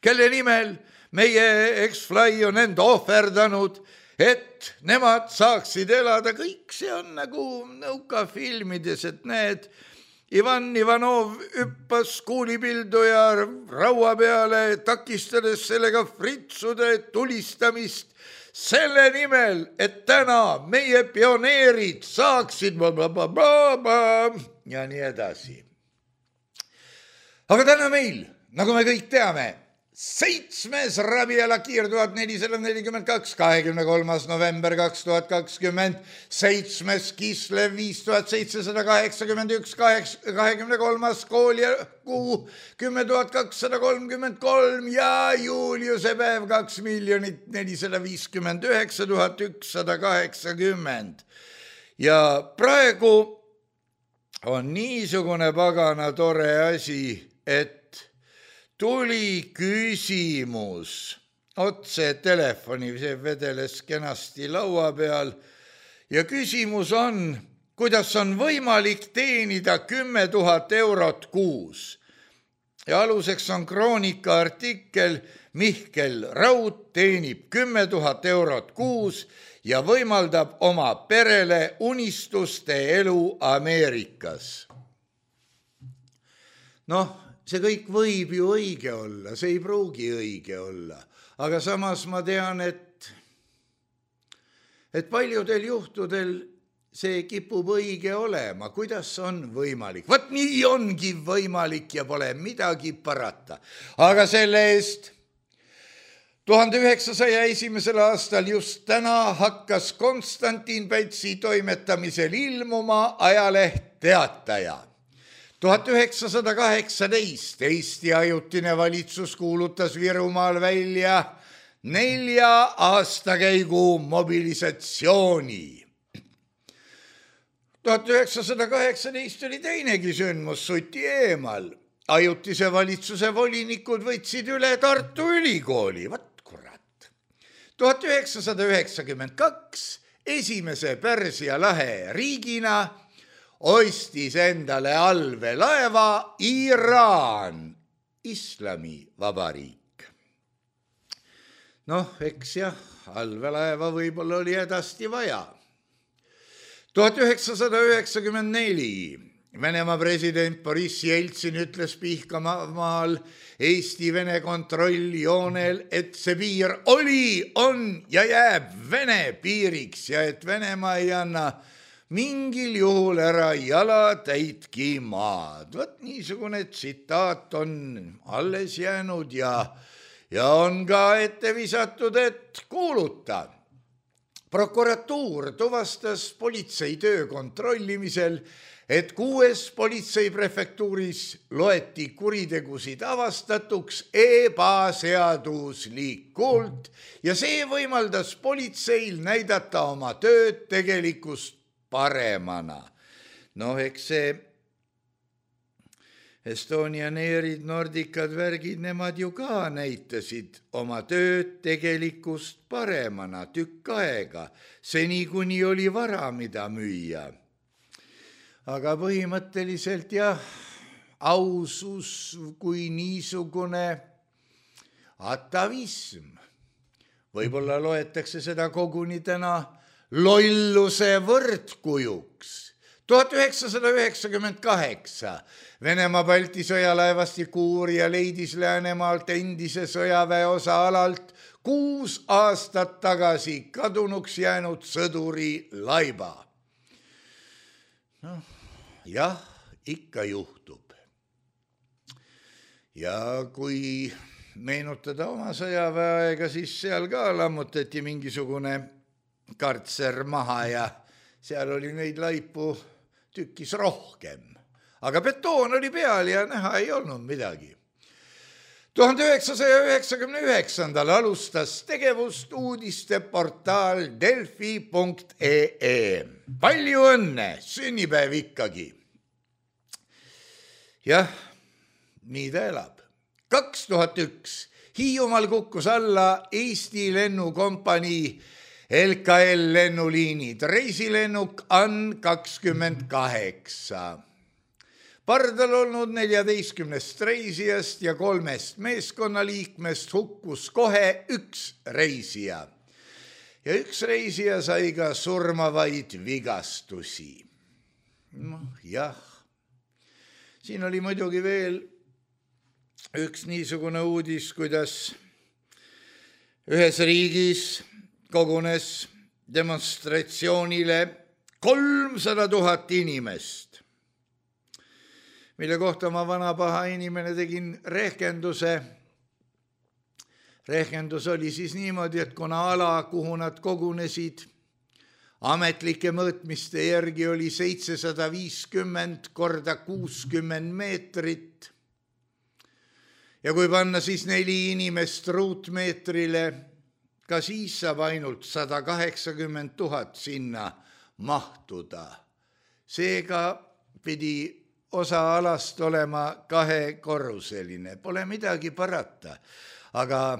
kelle nimel meie X-Fly on end ohverdanud, et nemad saaksid elada. Kõik see on nagu nõukafilmides, et need Ivan Ivanov hüppas kuulipilduja raua peale, takistades sellega fritsude tulistamist selle nimel, et täna meie pioneerid saaksid blablabla ja nii edasi. Aga täna meil, nagu me kõik teame, seitsmes Rabiela Kiir tuhat nelisada nelikümmend kaks, kahekümne kolmas november kaks tuhat kakskümmend, seitsmes Kislev viis tuhat seitsesada kaheksakümmend üks, kahekümne kolmas kooliakuu kümme tuhat kakssada kolmkümmend kolm ja Juliuse päev kaks miljonit nelisada viiskümmend üheksa tuhat ükssada kaheksakümmend. Ja praegu on niisugune pagana tore asi, et tuli küsimus otse telefoni, see vedeles kenasti laua peal ja küsimus on, kuidas on võimalik teenida kümme tuhat eurot kuus. Ja aluseks on Kroonika artikkel Mihkel Raud teenib kümme tuhat eurot kuus ja võimaldab oma perele unistuste elu Ameerikas. Noh, see kõik võib ju õige olla, see ei pruugi õige olla, aga samas ma tean, et et paljudel juhtudel see kipub õige olema, kuidas on võimalik. Vot nii ongi võimalik ja pole midagi parata. Aga selle eest tuhande üheksasaja esimesel aastal just täna hakkas Konstantin Pätsi toimetamisel ilmuma ajaleht Teataja. tuhat üheksasada kaheksateist Eesti ajutine valitsus kuulutas Virumaal välja nelja aastakäigu mobilisatsiooni. tuhat üheksasada kaheksateist oli teinegi sündmus Suti eemal. Ajutise valitsuse volinikud võtsid üle Tartu Ülikooli. Vat kurat. tuhat üheksasada üheksakümmend kaks esimese Pärsia lahe riigina ostis endale allveelaeva Iraan, Islamivabariik. Noh, eks jah, allveelaeva võib-olla oli hädasti vaja. tuhat üheksasada üheksakümmend neli Venemaa president Boriss Jeltsin ütles Pihkamaal Eesti-Vene kontrolljoonel, et see piir oli, on ja jääb Vene piiriks ja et Venemaa ei anna mingil juhul ära jalatäitki maad. Vot niisugune tsitaat on alles jäänud ja, ja on ka ette visatud, et kuuluta. Prokuratuur tuvastas politsei töö kontrollimisel, et kuues politseiprefektuuris loeti kuritegusid avastatuks ebaseaduslikult ja see võimaldas politseil näidata oma tööd tegelikust paremana. Noh, eks see Estonian Airid, Nordicad, värgid, nemad ju ka näitasid oma tööd tegelikust paremana tükk aega, seni kuni oli vara, mida müüa. Aga põhimõtteliselt jah, ausus kui niisugune atavism. Võib-olla loetakse seda koguni täna lolluse võrdkujuks. tuhat üheksasada üheksakümmend kaheksa Venemaa Balti sõjalaevastik uurija leidis Läänemaalt endise sõjaväe osa alalt kuus aastat tagasi kadunuks jäänud sõduri laiba. Noh, jah, ikka juhtub. Ja kui meenutada oma sõjaväeaega, siis seal ka lammutati mingisugune kartser maha ja seal oli neid laipu tükis rohkem. Aga betoon oli peal ja näha ei olnud midagi. tuhande üheksasaja üheksakümne üheksandal alustas tegevust uudisteportaal delfi punkt ee. Palju õnne, sünnipäev ikkagi. Jah, nii ta elab. kaks tuhat üks Hiiumaal kukkus alla Eesti lennukompanii L K L lennuliinid, reisilennuk A N kakskümmend kaheksa. Pardal olnud neljateistkümnest reisijast ja kolmest meeskonnaliikmest hukkus kohe üks reisija. Ja üks reisija sai ka surmavaid vigastusi. Noh, jah. Siin oli muidugi veel üks niisugune uudis, kuidas ühes riigis kogunes demonstratsioonile kolmsada tuhat inimest, mille kohta ma vana paha inimene tegin rehkenduse. Rehkendus oli siis niimoodi, et kuna ala, kuhu nad kogunesid, ametlike mõõtmiste järgi oli seitsesada viiskümmend korda kuuskümmend meetrit. Ja kui panna siis neli inimest ruutmeetrile, ka siis saab ainult sada kaheksakümmend tuhat sinna mahtuda. Seega pidi osa alast olema kahekorruseline. Pole midagi parata. Aga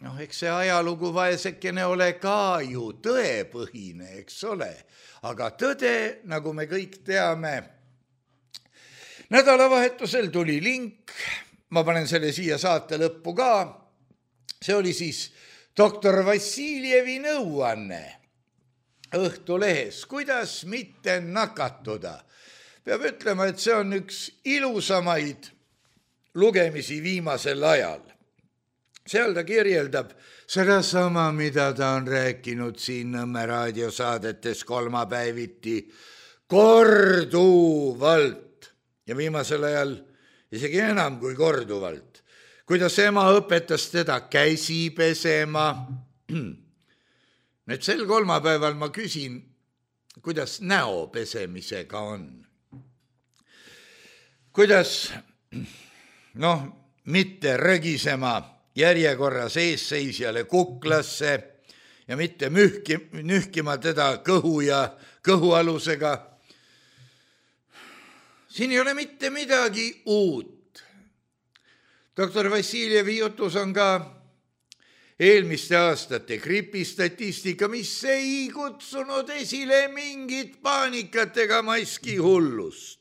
noh, eks see ajalugu vaesekene ole ka ju tõepõhine, eks ole. Aga tõde, nagu me kõik teame, nädalavahetusel tuli link, ma panen selle siia saate lõppu ka, see oli siis doktor Vassiljevi nõuanne Õhtulehes, kuidas mitte nakatuda. Peab ütlema, et see on üks ilusamaid lugemisi viimasel ajal. seal ta kirjeldab seda sama, mida ta on rääkinud siin Nõmme raadiosaadetes kolmapäeviti korduvalt ja viimasel ajal isegi enam kui korduvalt, kuidas ema õpetas teda käsi pesema. Nüüd sel kolmapäeval ma küsin, kuidas näo pesemisega on. Kuidas, noh, mitte rögisema järjekorras eesseisjale kuklasse ja mitte mühki, nühkima teda kõhu ja kõhualusega. Siin ei ole mitte midagi uut. Doktor Vassiljevi jutus on ka eelmiste aastate gripistatistika, mis ei kutsunud esile mingit paanikat ega maski hullust.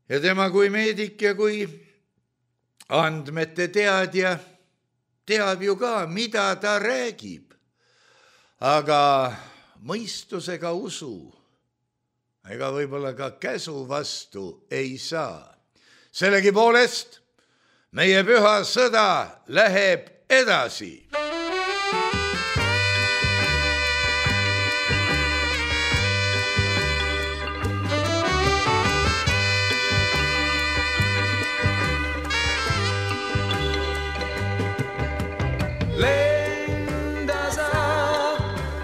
Ja tema kui meedik ja kui andmete teadja teab ju ka, mida ta räägib, aga mõistusega usu ega võib-olla ka käsu vastu ei saa. Sellegi poolest meie püha sõda läheb edasi. Lenda sa,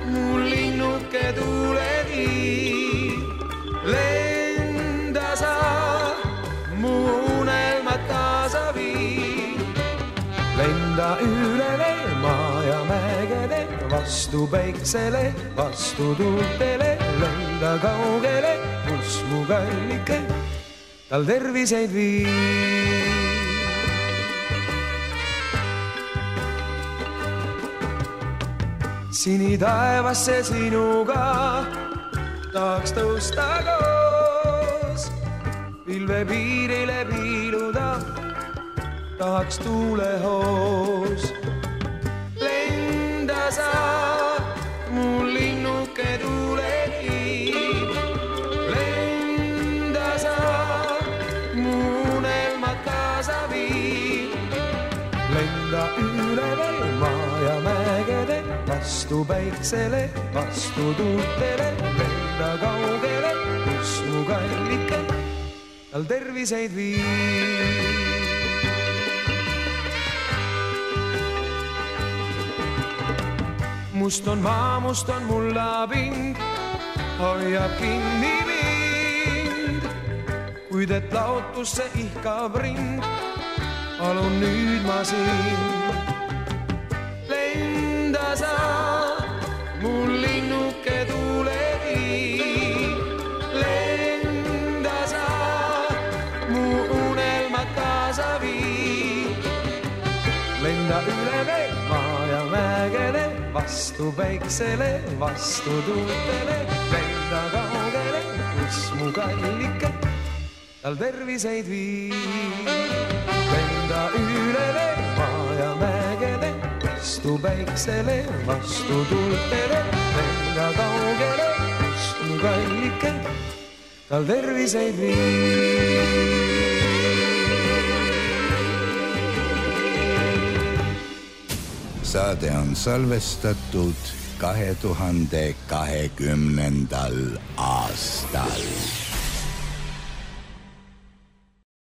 mu linnuke tuuleviib. Lenda sa, mu unelmat kaasa viib. Lenda üle maa ja mägede, vastu päiksele, vastu tuultele. Lenda kaugele, kus mu kallike, tal terviseid viib. Sini taevasse sinuga tahaks tõusta koos, pilve piirile piiluda tahaks tuulehoos. Lenda sa, mu linnuke tuuleviib. Lenda sa, mu unelmat kaasa viib. Lenda üle maa ja mägede, vastu päiksele, vastu tuultele. Lenda kaugele, kus mu kallike, tal terviseid viib. Must on maa, must on mullapind, hoiab kinni mind. Kuid et laotusse ihkab rind, palun nüüd ma sind. Lenda sa, mu linnuke tuuleviib. Lenda sa, mu unelmat kaasa viib. Lenda üle maa ja mägede, vastu päiksele, vastu tuultele. Lenda kaugele, kus mu kallike, tal terviseid viib. Lenda üle maa ja mägede, vastu päiksele, vastu tuultele. Lenda kaugele, kus mu kallike, tal terviseid viib. Saade on salvestatud kahe tuhande kahekümnendal aastal.